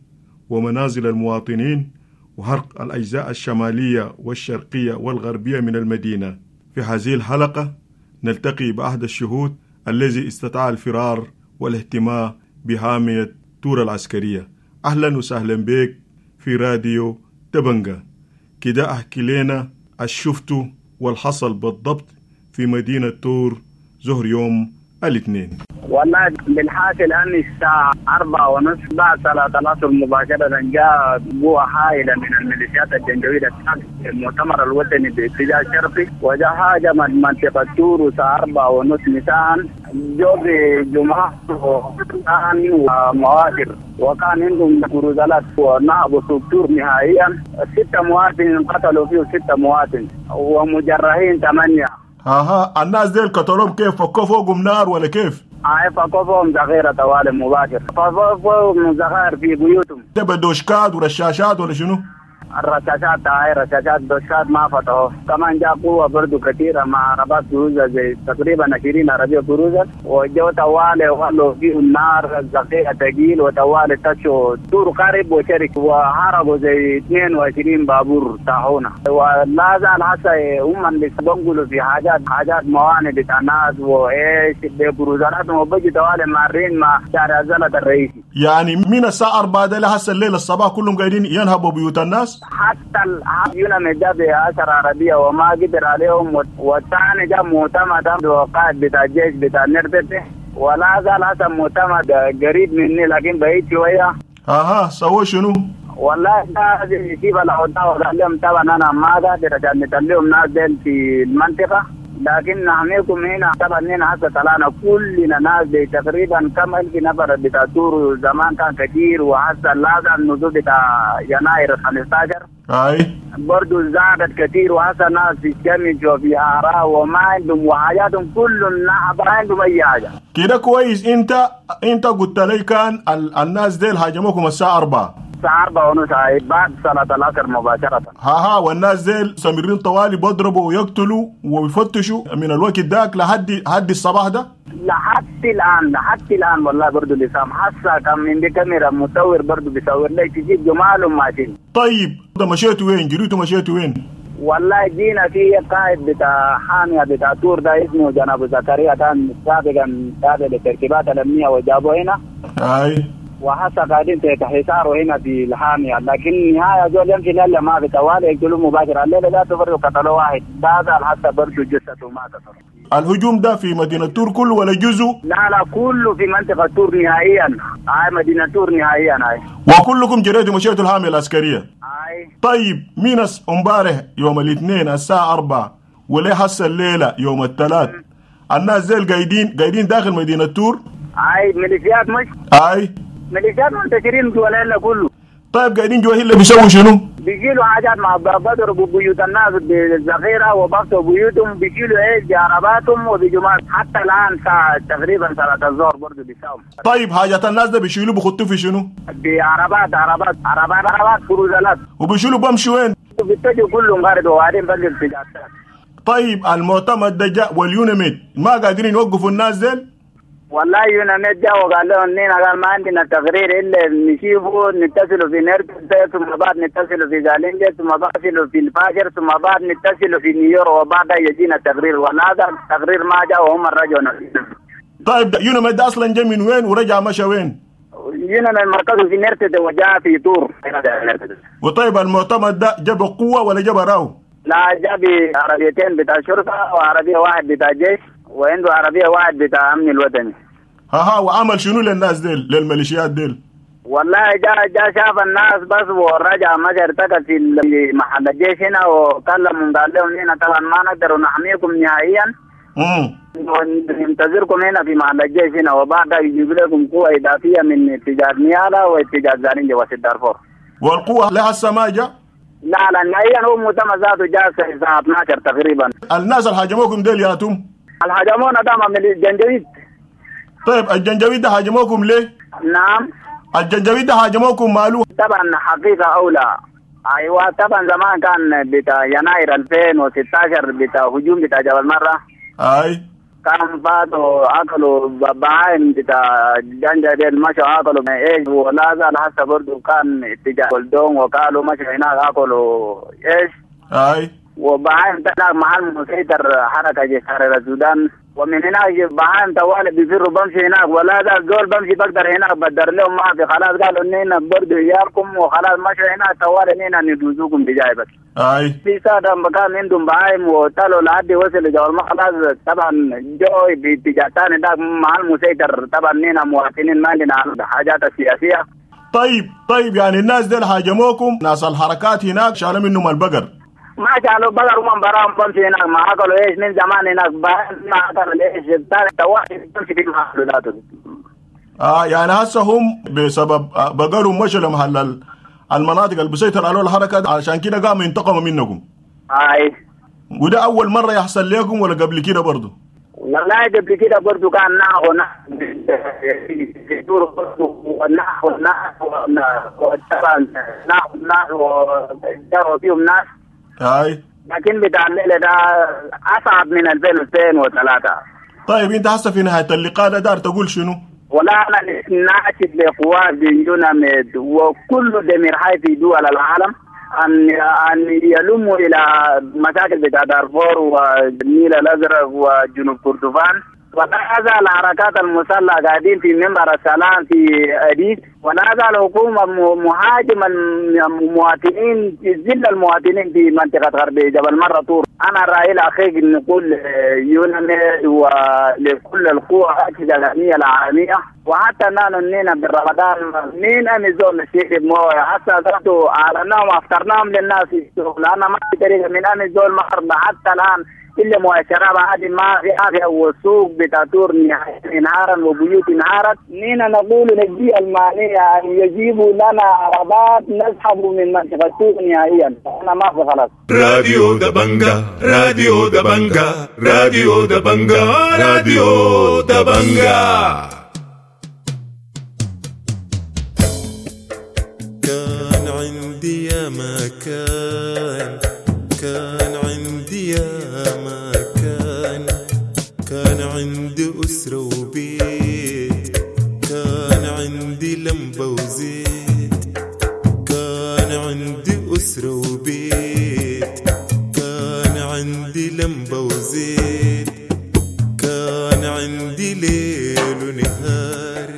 ومنازل المواطنين وحرق الأجزاء الشمالية والشرقية والغربية من المدينة. في هذه الحلقة نلتقي بأحد الشهود الذي استطاع الفرار والاهتمام بحامية تور العسكرية. أهلا وسهلا بك في راديو دبنجا. كده أحكي لنا الشفتو والحصل بالضبط في مدينة تور ظهر يوم الاثنين. والله بالحاصل أن الساعة أربعة ونصف بعد صلاة العصر مباشرة جاء قوة هائلة من الميليشيات الجنجويد المؤتمر الوطني باتجاه الشرقي، وجاء هاجم منطقة تور الساعة أربعة ونصف مساء، جو بجماعة ومواكب، وكان عندهم كروزالات ونهبوا سوق تور نهائيا. ستة مواطن قتلوا فيه ستة مواطن ومجرحين ثمانية. اها الناس ديل قتلوهم كيف؟ فكوا فوقهم نار ولا كيف؟ اي فكوا فوقهم ذخيرة طوال مباشر، فكوا فوقهم ذخائر في بيوتهم. ده بدوشكات ورشاشات ولا شنو؟ الرشاشات هاي رشاشات دوشكات ما فتحوا. كمان جاء قوة برضو كثيرة مع عربات كروزة زي تقريبا عشرين عربية كروزة، وجو طوالي وخلوا فيه النار الذخيرة ثقيل، وطوالي تشوا تور قرب وشرك، وهربوا زي اثنين وعشرين بابور طاحونا. ولا زال هسه هم اللي بنقلوا في حاجات حاجات موانئ بتاع ناس وايش بكروزاتهم، وبجي طوالي مارين مع شارع زلط الرئيسي. يعني من الساعة أربعة ده لهسه الليل الصباح كلهم قاعدين ينهبوا بيوت الناس؟ حتى اليوناميد جاب بعشر عربية وما قدر عليهم، والثاني جاب معتمد وقائد بتاع الجيش بتاع نرتبه، ولا زال هسه معتمد قريب مني لكن بعيد شوية. اها سووا شنو؟ والله لازم يجيب العودة، وقال لهم طبعا أنا ما قادر عشان نتليهم ناس ديل في المنطقة، لكن نحميكم هنا. طبعا هنا هسه طلعنا كلنا ناس تقريبا كم ألف نفر بتاع تور، زمان كان كثير، وهسه لازم النزول بتاع يناير خمستاشر اي برضو زادت كثير، وهسه ناس في الشمس وفي آراء وما عندهم وحاجاتهم كلهم ما عندهم أي حاجة. كده كويس. انت انت قلت لي كان ال... الناس ديل هاجموكم الساعة أربعة. الساعة أربعة ونص بعد صلاة العصر مباشرة. ها ها والناس ديل سمرين طوالي بيضربوا ويقتلوا ويفتشوا من الوقت داك لحد حد الصباح ده؟ لحد الآن لحد الآن والله برضو لسام حاسة كان من دي كاميرا مصور برضو بيصور لي تجيب جمالهم ماشيين. طيب ده مشيتوا وين؟ جريتوا مشيتوا وين؟ والله جينا في قائد بتاع حامية بتاع تور ده اسمه جناب زكريا، كان سابقا تابع للترتيبات الأمنية وجابوه هنا. أي وحسا قاعدين تحت حصاره هنا في الحامية، لكن نهاية زول يمشي لله ما في طوالي يقتلوا مباشرة. الليلة ذاته برضه قتلوا واحد بعد حتى برضه جثته ماتت. الهجوم ده في مدينة تور كله ولا جزء؟ لا لا كله في منطقة تور نهائيا، هاي مدينة تور نهائيا هاي. وكلكم جريتوا مشيتوا الحامية العسكرية؟ هاي. طيب مين امبارح يوم الاثنين الساعة أربعة وليه هسه الليلة يوم الثلاث الناس زي قاعدين قاعدين داخل مدينة تور؟ هاي ميليشيات مش؟ هاي ميليشيات منتشرين جوا الهلة كله. طيب قاعدين جوا الهلة بيسووا شنو؟ بيشيلوا حاجات مع بضربوا بيوت الناس بالذخيرة وبفتوا بيوتهم، بيشيلوا ايش بعرباتهم وبيجوا حتى الآن ساعة تقريبا صلاة الظهر برضه بيساووا. طيب حاجات الناس ده بيشيلوا بيخطوا في شنو؟ بعربات عربات عربات عربات كروزالات. وبيشيلوا بمشوا وين؟ بيتجوا كلهم غارب وبعدين بقوا اتجاهات. طيب المعتمد ده جاء واليوناميد ما قادرين يوقفوا الناس ديل؟ والله يوناميد جاء وقال لهم نينا قال ما عندنا تقرير الا نشوفه، نتصلوا في نرتل ثم بعد نتصلوا في زالنجة ثم بعد نتصلوا في الفاجر ثم بعد نتصلوا في نيويورك وبعد يجينا تقرير، وهذا التقرير ما جاء وهم رجعوا. طيب يوناميد ده اصلا جاء من وين ورجع مشى وين؟ يوناميد مركزه في نرتل وجاء في تور. وطيب المعتمد ده جاب قوة ولا جاب راو؟ لا جاب عربيتين بتاع شرطة وعربية واحد بتاع جيش وعنده عربية واحد بتاع أمن الوطني. ها ها وعمل شنو للناس ديل للميليشيات ديل؟ والله جا جا شاف الناس بس ورجع مشى ارتكز في محل الجيش هنا وكلمهم قال لهم هنا طبعا ما نقدر نحميكم نهائيا. امم وننتظركم هنا في محل الجيش هنا وبعدها يجيب لكم قوة إضافية من اتجاه نيالا واتجاه زالنجي وسط دارفور. والقوة لهسه ما جا؟ لا لا نهائيا هو مؤتمر ذاته جاء الساعة اثناشر تقريبا. الناس اللي هاجموكم ديل ياتم؟ الهاجمونا ده من الجنجويد. طيب الجنجويد ده هاجموكم ليه؟ نعم الجنجويد ده هاجموكم ماله؟ طبعا حقيقة أولى. أيوة طبعا زمان كان بتاع يناير ألفين وستاشر بتاع هجوم بتاع جبل مرة. أي كان فاتوا أكلوا بهايم بتاع جنجا مشوا أكلوا إيش، ولا زال حتى برضو كان اتجاه ولدون وقالوا مشوا هناك أكلوا إيش. أي وبهايم تلاقي محل مسيطر حركة جيش حرر السودان. ومن هناك بهايم طوال بيفروا بمشي هناك، ولا ده زول بمشي بقدر هناك بدر لهم ما في خلاص. قالوا نينا برضو عيالكم وخلاص مشوا هناك طوال نينا ندوزوكم بجاي بس. اي في سادة مكان عندهم بهايم وطلعوا لحد وصلوا جوال ما خلاص. طبعا جو باتجاه ثاني ده مع المسيطر. طبعا نينا مواطنين ما عندنا حاجات السياسية. طيب طيب يعني الناس ديل هاجموكم، ناس الحركات هناك شالوا منهم البقر. ما شالوا بقر ومن براهم بمشي هناك ما اكلوا ايش من زمان هناك، ما اكلوا ايش الثاني بمشي في محل ذاته. اه يعني هسه هم بسبب بقرهم مشوا لمحل المناطق اللي بيسيطر عليها الحركة، عشان كده قاموا ينتقموا منكم. اي وده اول مرة يحصل لكم ولا قبل كده برضه؟ والله قبل كده برضه كان ناخو ناخو ناخو ناخو ناخو فيهم ناس. هاي لكن بتاع الليلة ده أصعب من ألفين وثلاثة. طيب أنت هسه في نهاية اللقاء ده دار تقول شنو؟ ولا أنا ناشد لقوات يوناميد وكل دمير حي في دول العالم أن أن يلموا إلى مشاكل بتاع دارفور والنيل الأزرق وجنوب كردفان. ولا زال الحركات المسلحة قاعدين في منبر السلام في أديس، ولا زال الحكومة مهاجمة المواطنين، ذل المواطنين في منطقة غرب جبل مرة طور. أنا رأيي الأخير نقول يوناميد ولكل القوى الأجهزة الأمنية العالمية، وحتى نحن نينا بالرمضان مين أمي زول الشيخ موية حتى ذاته أعلناهم وأفطرناهم للناس، لأن ما في طريقة من أمي زول مغرب حتى الآن إلا مؤشرات عادي ما في عافية، والسوق بتاتور انهارا وبيوت انهارت. نينا نقول للجهة المعنية أن يجيبوا لنا عربات نسحب من منطقة السوق نهائيا، أنا ما في خلاص. راديو دبنجا، راديو دبنجا، راديو دبنجا، راديو دبنجا. كان عندي يا مكان، كان عندي يا مكان، كان عندي أسرة وبيت، كان عندي لمبة وزيت، كان عندي أسرة وبيت، كان عندي لمبة وزيت، كان عندي ليل ونهار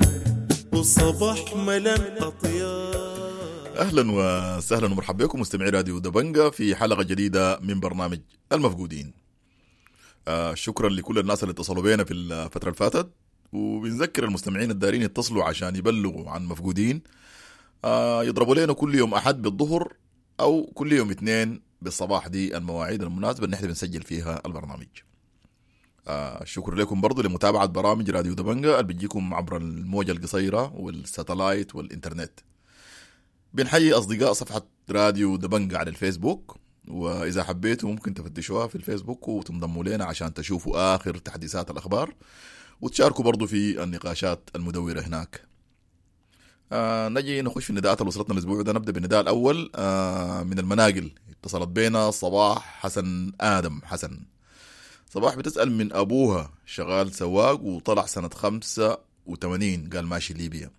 وصباح ملان أطيار. أهلا وسهلا ومرحبا بكم مستمعي راديو دبنجا في حلقة جديدة من برنامج المفقودين. آه شكرا لكل الناس اللي اتصلوا بينا في الفترة اللي فاتت، وبنذكر المستمعين الدارين يتصلوا عشان يبلغوا عن مفقودين. آه يضربوا لنا كل يوم أحد بالظهر أو كل يوم اثنين بالصباح، دي المواعيد المناسبة اللي نحن بنسجل فيها البرنامج. آه شكرا لكم برضو لمتابعة برامج راديو دبنجا اللي بتجيكم عبر الموجة القصيرة والساتلايت والإنترنت. بنحيي أصدقاء صفحة راديو دبنجا على الفيسبوك، وإذا حبيتوا ممكن تفتشوها في الفيسبوك وتنضموا لنا عشان تشوفوا آخر تحديثات الأخبار وتشاركوا برضو في النقاشات المدورة هناك. آه نجي نخش في النداءات اللي وصلتنا الأسبوع ده. نبدأ بالنداء الأول آه من المناقل. اتصلت بينا صباح حسن آدم حسن. صباح بتسأل من أبوها شغال سواق وطلع سنة خمسة وثمانين، قال ماشي ليبيا.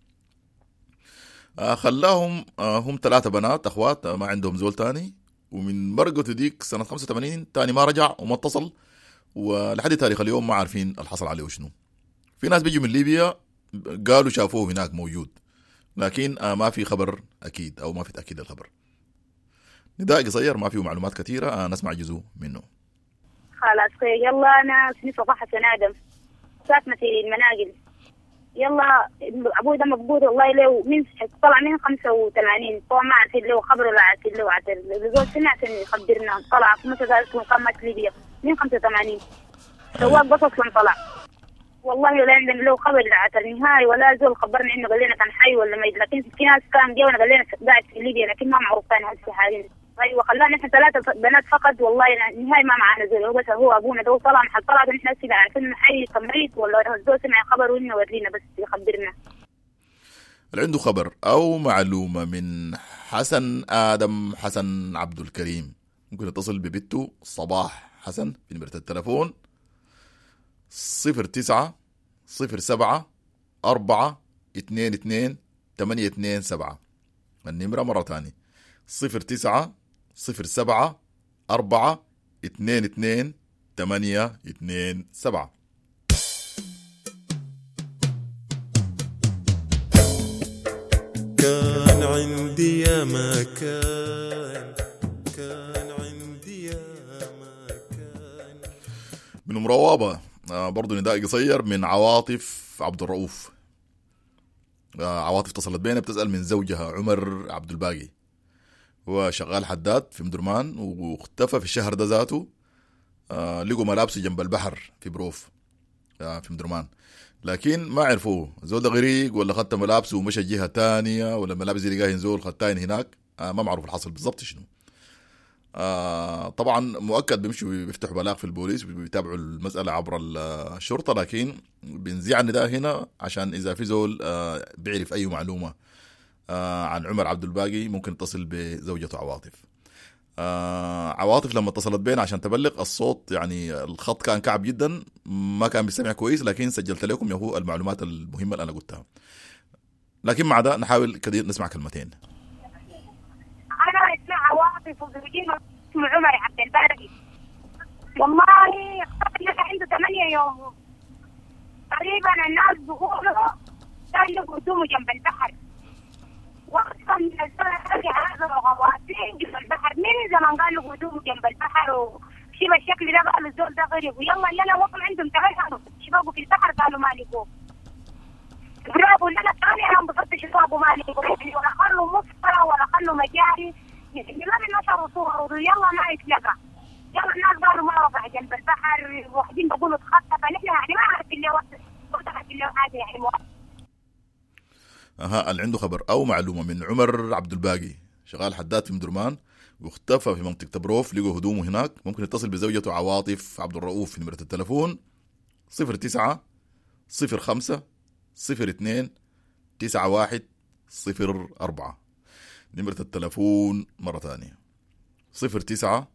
آه خلاهم آه هم ثلاثة بنات أخوات، آه ما عندهم زول تاني، ومن مرقته ديك سنة خمسة وثمانين تاني ما رجع وما اتصل، ولحد تاريخ اليوم ما عارفين الحصل عليه وشنو. في ناس بيجوا من ليبيا قالوا شافوه هناك موجود، لكن آه ما في خبر أكيد أو ما في تأكيد الخبر. نداء قصير ما فيه معلومات كثيرة، آه نسمع جزء منه. خلاص خير، يلا أنا اسمي صباح حسن آدم، ساكنة في المناقل. يلا أبوي ده مفقود والله، له من طلع من خمسة وثمانين، طبعا ما عارفين له خبر ولا عارفين له عتل، زول سمع عشان يخبرنا. طلع في متى قامة ليبيا من خمسة وثمانين، سواق بس أصلا طلع والله لا عندنا له خبر عتل نهائي، ولا زول خبرنا إنه قال لنا كان حي ولا ميت. لكن في ناس كان جونا قال لنا قاعد في ليبيا، لكن ما معروف كان هسه حاليا. ايوه خلانا احنا ثلاثة بنات فقط والله نهائي ما معنا زول، هو بس هو ابونا ده طلع محل طلع، نحن هسه عارفين انه حي تمريض ولا زول سمع خبر وانه ورينا بس يخبرنا. اللي عنده خبر او معلومة من حسن ادم حسن عبد الكريم ممكن يتصل ببنته صباح حسن في نمره التلفون صفر تسعة صفر سبعة أربعة اثنين اثنين ثمانية اثنين سبعة. النمرة مرة تانية صفر تسعة صفر سبعة أربعة اثنين اثنين ثمانية اثنين سبعة. يا مكان، كان عندي يا مكان. من أم روابة آه برضو نداء قصير من عواطف عبد الرؤوف. آه عواطف اتصلت بينا بتسأل من زوجها عمر عبد الباقي، هو شغال حداد في مدرمان واختفى في الشهر ده ذاته. آه لقوا ملابسه جنب البحر في بروف آه في مدرمان، لكن ما عرفوه زول ده غريق ولا خدت ملابسه ومشى جهة تانية، ولا الملابس دي لقاها زول خدتين هناك. آه ما معروف الحصل بالضبط شنو. آه طبعا مؤكد بيمشوا بيفتحوا بلاغ في البوليس وبيتابعوا المسألة عبر الشرطة، لكن بنزيع النداء هنا عشان إذا في زول آه بيعرف أي معلومة آه عن عمر عبد الباقي ممكن يتصل بزوجته عواطف. آه عواطف لما اتصلت بينا عشان تبلغ الصوت، يعني الخط كان كعب جدا، ما كان بيسمع كويس، لكن سجلت لكم يا هو المعلومات المهمة اللي أنا قلتها. لكن مع ده نحاول كده نسمع كلمتين. أنا اسمع عواطف وزوجي اسمه عمر عبد الباقي، والله اختفى عنده ثمانية يوم تقريبا. الناس بيقولوا كان له هدومه جنب البحر، واصلا من الزمن هذا غواصين جنب البحر من زمان، قالوا هدومه جنب البحر وشي بالشكل ده، قالوا الزول ده غريب، ويلا اللي انا وقف عندهم تغيروا شبابه في البحر قالوا ما لقوه. برافو اللي انا ثاني انا انبسطت شبابه ما لقوه، ولا خلوا مصفى ولا خلوا مجاري، يعني ما بنشروا صور، يلا ما يتلقى. يلا الناس قالوا ما وقع جنب البحر، واحدين بيقولوا اتخطف، فنحن يعني ما عارفين اللي وقعت اللي حاجه يعني. اها اللي عنده خبر او معلومه من عمر عبد الباقي شغال حداد في مدرمان واختفى في منطقه بروف، لقوا هدومه هناك، ممكن يتصل بزوجته عواطف عبد الرؤوف في نمره التلفون صفر تسعة صفر خمسة صفر اثنين تسعة واحد صفر أربعة. نمرة التلفون مرة ثانية صفر تسعة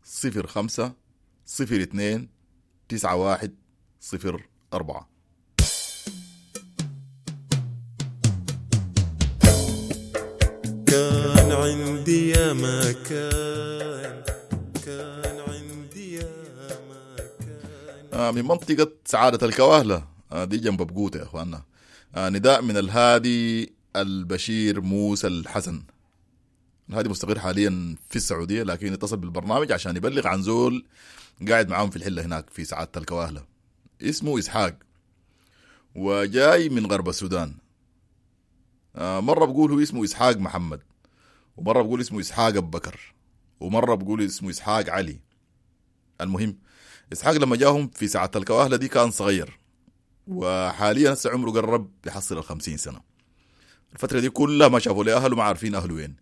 صفر خمسة صفر اثنين تسعة واحد صفر أربعة. كان عندي يا مكان، كان عندي يا مكان. آه من منطقة سعادة الكواهلة، آه دي جنب بقوتة يا أخواننا. آه نداء من الهادي البشير موسى الحسن. الهادي مستقر حاليا في السعودية، لكن اتصل بالبرنامج عشان يبلغ عن زول قاعد معاهم في الحلة هناك في سعادة الكواهلة، اسمه إسحاق وجاي من غرب السودان. آه مرة بقول هو اسمه إسحاق محمد، ومرة بقول اسمه إسحاق أبو بكر، ومرة بقول اسمه إسحاق علي. المهم إسحاق لما جاهم في ساعة الكواهلة دي كان صغير، وحاليا هسه عمره قرب يحصل الخمسين سنة. الفترة دي كلها ما شافوا له أهله، ما عارفين أهله وين،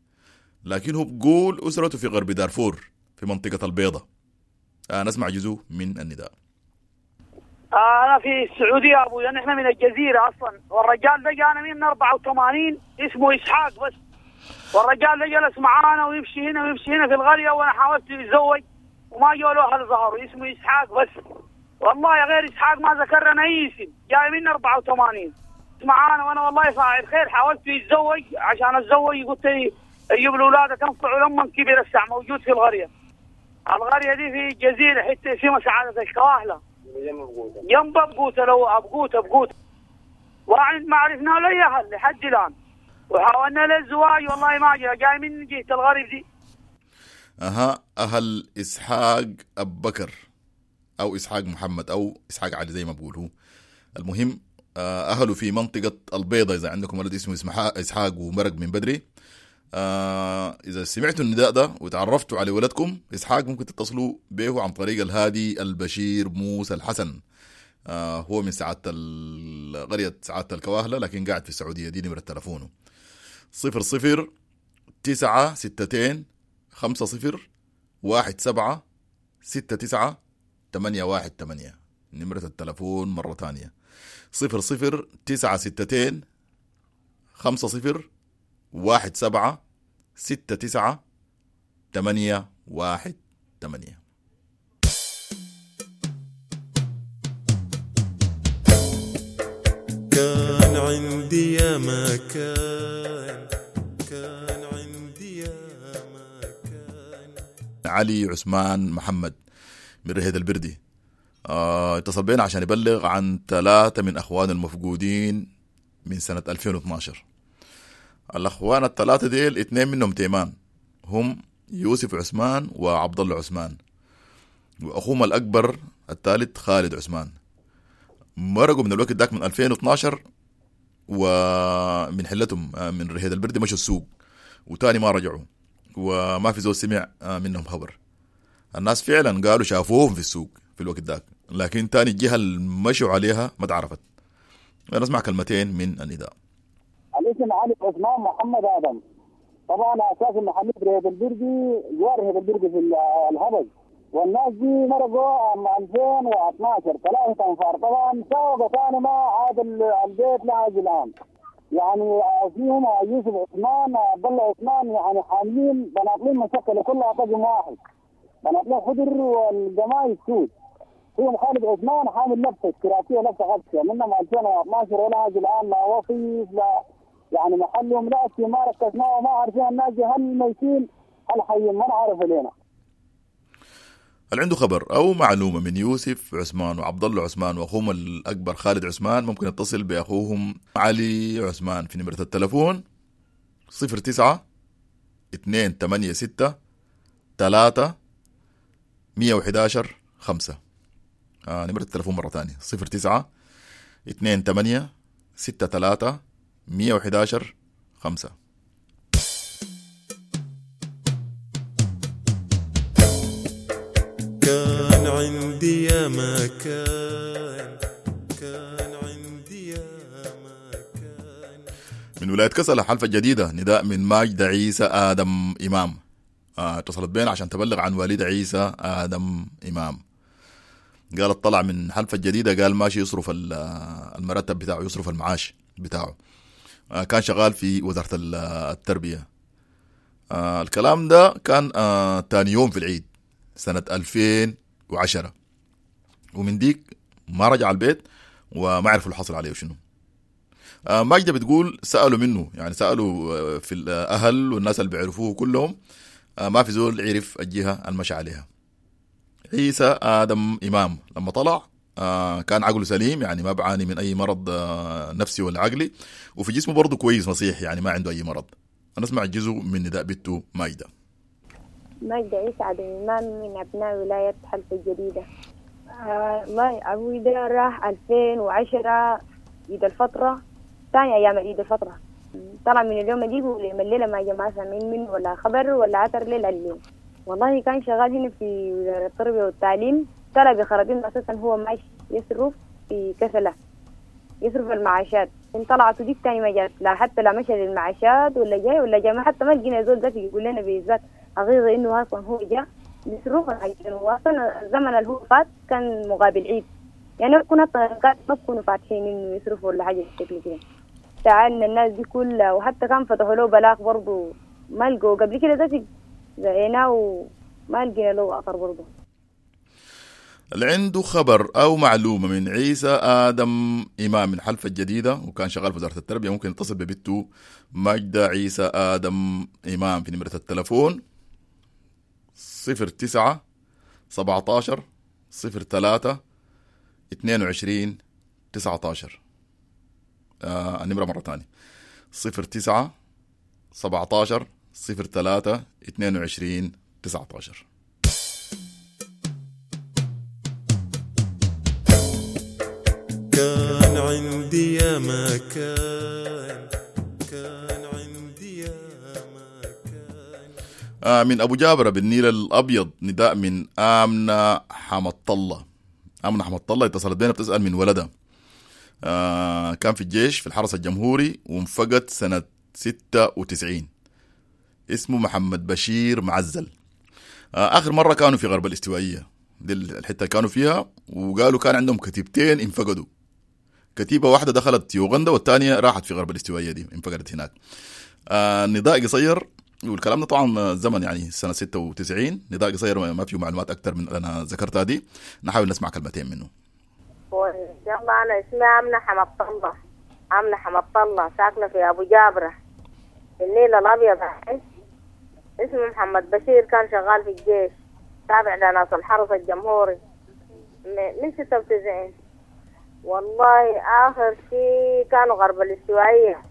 لكن هو بقول أسرته في غرب دارفور في منطقة البيضة. آه نسمع جزء من النداء. أنا في السعودية أبوي، نحن من الجزيرة أصلا، والرجال ده جانا من أربعة وثمانين اسمه إسحاق بس، والرجال ده جلس معانا ويمشي هنا ويمشي هنا في القرية، وأنا حاولت أتزوج وما جوا له أهل ظهره، اسمه إسحاق بس. والله يا غير إسحاق ما ذكرنا أي اسم، جاي من أربعة وثمانين معانا، وأنا والله فاعل خير حاولت أتزوج عشان أتزوج، قلت أجيب الأولاد تنفعوا لما كبر الساعة. موجود في القرية، القرية دي في الجزيرة حتى اسمها سعادة الكواهلة جنب بقوته، لو أبقوته بقوته وعند ما عرفنا له أهل لحد الآن، وحاولنا للزواج والله ما جاء، جاي من جهة الغرب دي. أها أهل إسحاق أبو بكر أو إسحاق محمد أو إسحاق علي زي ما بقول هو. المهم أهله في منطقة البيضة، إذا عندكم ولد اسمه إسحاق ومرق من بدري، آه إذا سمعتوا النداء ده وتعرفتوا على ولدكم إسحاق ممكن تتصلوا به عن طريق الهادي البشير موسى الحسن. آه هو من سعادة قرية سعادة الكواهلة، لكن قاعد في السعودية. دي نمرة تلفونه صفر صفر تسعة ستتين خمسة صفر واحد سبعة ستة تسعة تمانية واحد تمانية. نمرة التلفون مرة تانية صفر صفر تسعة ستتين خمسة صفر واحد سبعة ستة تسعة تمانية واحد تمانية. كان عندي يا مكان، كان عندي يا مكان. علي عثمان محمد من رهيد البردي آه، اتصل بينا عشان يبلغ عن ثلاثة من أخوانه المفقودين من سنة ألفين واثناشر. الأخوان الثلاثة ديل اثنين منهم تيمان، هم يوسف عثمان وعبد الله عثمان، وأخوهم الأكبر الثالث خالد عثمان. مرقوا من الوقت ذاك من ألفين واثناشر ومن حلتهم من رهيد البردي مشوا السوق وتاني ما رجعوا، وما في زول سمع منهم خبر. الناس فعلا قالوا شافوهم في السوق في الوقت ذاك، لكن تاني الجهة اللي مشوا عليها ما تعرفت. نسمع كلمتين من النداء. الاسم علي عثمان محمد آدم، طبعا اساس محلية رهيد البردي، جوار رهيد البردي في الهبل، والناس دي مرقوا عام ألفين واثناشر ثلاثة أنفار، طبعا ساوقوا ثاني ما عاد البيت لا عاد الآن. يعني فيهم يوسف عثمان عبد الله عثمان، يعني حاملين بناطلين مشكلة كلها طقم واحد، بناطلين خضر والقمايص سود. فيهم خالد عثمان حامل لبسة كراسية لبسة غبشة منهم ألفين واثناشر ولا عاد الآن، لا وصيف لا يعني محلهم لا شيء، ما ركزناه وما عارفين الناس هل ميتين هل حيين، ما نعرف لنا. اللي عنده خبر أو معلومة من يوسف عثمان وعبد الله عثمان وأخوهم الأكبر خالد عثمان ممكن يتصل بأخوهم علي عثمان في نمرة التلفون صفر تسعة اثنين ثمانية ستة ثلاثة مية وحداشر خمسة. آه نمرة التلفون مرة ثانية صفر تسعة اثنين ثمانية ستة ثلاثة مية وحداشر خمسة. كان عندي يا ما كان، كان عندي يا ما كان. من ولاية كسلة حلفة جديدة نداء من ماجد عيسى آدم إمام. آه، اتصلت بينا عشان تبلغ عن والد عيسى آدم إمام. قال طلع من حلفة الجديدة، قال ماشي يصرف المرتب بتاعه، يصرف المعاش بتاعه. آه، كان شغال في وزارة التربية. آه، الكلام ده كان آه، تاني يوم في العيد سنة ألفين وعشرة، ومن ديك ما رجع البيت وما عرفوا اللي حصل عليه وشنو. آه ماجدة بتقول سألوا منه، يعني سألوا في الأهل والناس اللي بيعرفوه كلهم، آه ما في زول عرف الجهة المشى عليها. عيسى آدم إمام لما طلع آه كان عقله سليم، يعني ما بعاني من أي مرض آه نفسي ولا عقلي، وفي جسمه برضه كويس نصيح، يعني ما عنده أي مرض. أنا أسمع جزء من نداء بنته ماجدة. ماجدة عيسى آدم إمام من أبناء ولاية حلفة الجديدة. والله آه أبوي ده راح ألفين وعشرة عيد الفترة، ثاني أيام عيد الفترة، طلع من اليوم دي ولما الليلة ما جمع سامعين منه ولا خبر ولا عثر ليلة اليوم. والله كان شغال هنا في وزارة التربية والتعليم، طلع بخرابين أساسا هو ماشي يصرف في كسلة، يصرف المعاشات. إن طلعت وديك تاني ما جات، لا حتى لا مشى للمعاشات ولا جاي ولا جاي، ما حتى ما لقينا زول ذاتي يقول لنا بالذات حقيقة إنه أصلا هو جاء يصرف الحاجتين. وأصلا الزمن اللي هو فات كان مقابل عيد، يعني كنا ما بكونوا فاتحين إنه يصرفوا ولا حاجة بالشكل كده. تعالنا الناس دي كلها، وحتى كان فتحوا له بلاغ برضو ما لقوا قبل كده ذاتي زعيناه وما لقينا له أثر برضو. اللي عنده خبر أو معلومة من عيسى آدم إمام من حلفة الجديدة وكان شغال في وزارة التربية ممكن يتصل ببنته ماجدة عيسى آدم إمام في نمرة التلفون صفر تسعة سبعتاشر صفر ثلاثة اثنين وعشرين تسعتاشر. آه النمرة مرة تانية صفر تسعة سبعتاشر صفر ثلاثة اثنين وعشرين تسعتاشر. كان عندي يا ما كان، كان عندي يا ما كان. آه من أبو جابرة بالنيل الأبيض نداء من آمنة حمد الله. آمنة حمد الله اتصلت بينا بتسأل من ولدها، آه كان في الجيش في الحرس الجمهوري وانفقد سنة ستة وتسعين، اسمه محمد بشير معزل. آه آخر مرة كانوا في غرب الاستوائية، دي الحتة كانوا فيها، وقالوا كان عندهم كتيبتين انفقدوا، كتيبة واحدة دخلت يوغندا والثانية راحت في غرب الاستوائية دي انفقدت هناك. آه نداء قصير، والكلام ده طبعا زمن يعني سنة ستة وتسعين، نداء قصير ما فيه معلومات أكتر من أنا ذكرتها دي، نحاول نسمع كلمتين منه. يلا أنا اسمي آمنة حمد الله، آمنة حمد الله، ساكنة في أبو جابرة النيل الأبيض. اسمه محمد بشير، كان شغال في الجيش تابع لناس الحرس الجمهوري من ستة وتسعين. والله آخر شيء كانوا غرب الاستوائية،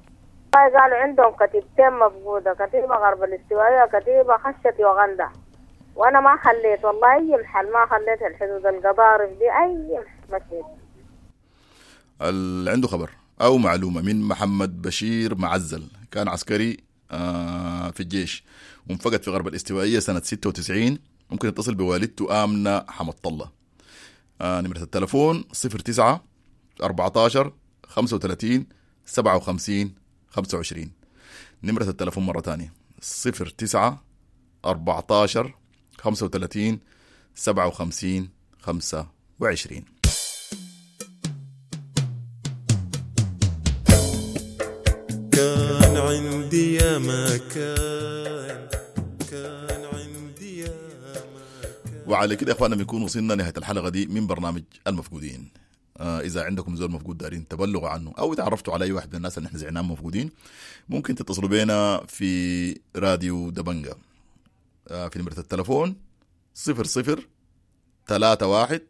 قالوا عندهم كتيبتين مفقودة، كتيبة غرب الاستوائية كتيبة خشت يوغندا، وأنا ما خليت والله أي محل، ما خليت الحدود القضارف دي أي محل مشيت. اللي عنده خبر أو معلومة من محمد بشير معزل، كان عسكري في الجيش وانفقد في غرب الاستوائية سنة ستة وتسعين، ممكن يتصل بوالدته آمنة حمد الله. نمرة التلفون صفر تسعة أربعتاشر خمسة وثلاثين سبعة وخمسين خمسة وعشرين. نمرة التلفون مرة تانية صفر تسعة أربعتاشر خمسة وثلاثين سبعة وخمسين خمسة وعشرين. كان عندي يا ما كان، كان عندي يا ما كان. وعلى كده يا اخواننا بنكون وصلنا نهاية الحلقة دي من برنامج المفقودين. آه إذا عندكم زول مفقود دارين تبلغوا عنه أو تعرفتوا على أي واحد من الناس اللي احنا زعناهم مفقودين، ممكن تتصلوا بينا في راديو دبنجة آه في نمرة التلفون صفر صفر ثلاثة واحد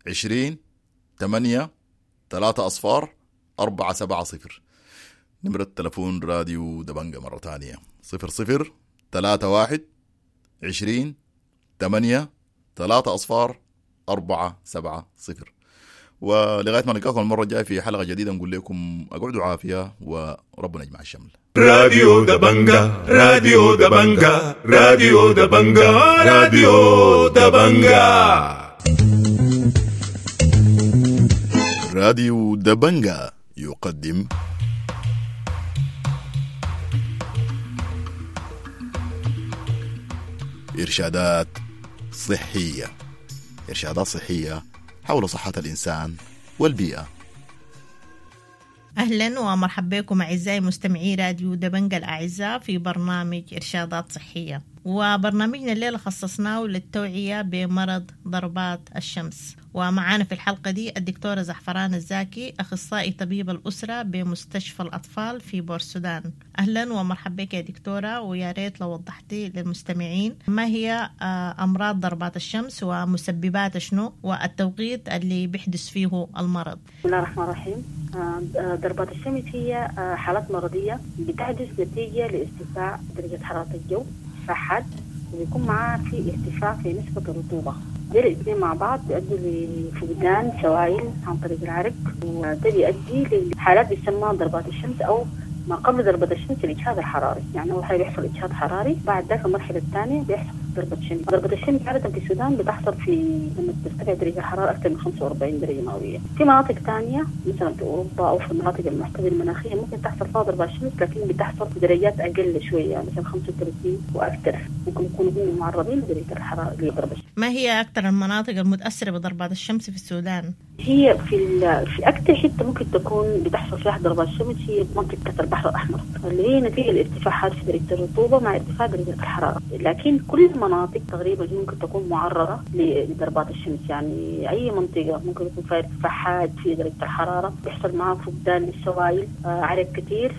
عشرين ثمانية ثلاثة أصفار أربعة سبعة صفر. نمرة تلفون راديو دبنجة مرة تانية صفر صفر ثلاثة واحد عشرين ثمانية ثلاثة أصفار أربعة سبعة صفر. ولغاية ما نلقاكم المرة الجاية في حلقة جديدة نقول لكم أقعدوا عافية وربنا يجمع الشمل. راديو دبنجة، راديو دبنجة، راديو دبنجة، راديو دبنجة. راديو دبنجة يقدم إرشادات صحية، إرشادات صحية حول صحة الإنسان والبيئة. أهلا ومرحبا بكم أعزائي مستمعي راديو دبنجة الأعزاء في برنامج إرشادات صحية، وبرنامجنا الليلة خصصناه للتوعية بمرض ضربات الشمس. ومعانا في الحلقة دي الدكتورة زعفران الزاكي، أخصائي طبيب الأسرة بمستشفى الأطفال في بورسودان. أهلا ومرحبا بك يا دكتورة، ويا ريت لو وضحتي للمستمعين ما هي أمراض ضربات الشمس ومسببات شنو والتوقيت اللي بيحدث فيه المرض. بسم الله الرحمن الرحيم. ضربات الشمس هي حالات مرضية بتحدث نتيجة لارتفاع درجة حرارة الجو حاد، وبيكون معاه في ارتفاع في نسبة الرطوبة. دول الاثنين مع بعض بيؤدوا لفقدان سوائل عن طريق العرق، وده بيؤدي لحالات بيسمى ضربات الشمس أو ما قبل ضربة الشمس الإجهاد الحراري. يعني أول حاجة بيحصل إجهاد حراري، بعد ذاك المرحلة الثانية بيحصل ضربة شمس. ضربة الشمس عادة في السودان بتحصل في لما ترتفع درجة الحرارة أكثر من خمسة وأربعين درجة مئوية. في مناطق ثانية مثلا في أوروبا أو في المناطق المعتدلة المناخية ممكن تحصل فيها ضربة الشمس، لكن بتحصل بدرجات أقل شوية، مثلا خمسة وثلاثين وأكثر، ممكن يكونوا هم معرضين لدرجة الحرارة لضربة الشمس. ما هي أكثر المناطق المتأثرة بضربات الشمس في السودان؟ هي في في أكثر حتة ممكن تكون بتحصل فيها ضربات الشمس هي منطقة البحر الأحمر، اللي هي نتيجة الارتفاعات في درجة الرطوبة مع ارتفاع درجة الحرارة. لكن كل المناطق تقريبا ممكن تكون معرضة لضربات الشمس، يعني أي منطقة ممكن يكون فيها ارتفاعات في درجة الحرارة بيحصل معها فقدان للسوائل، عرق كثير،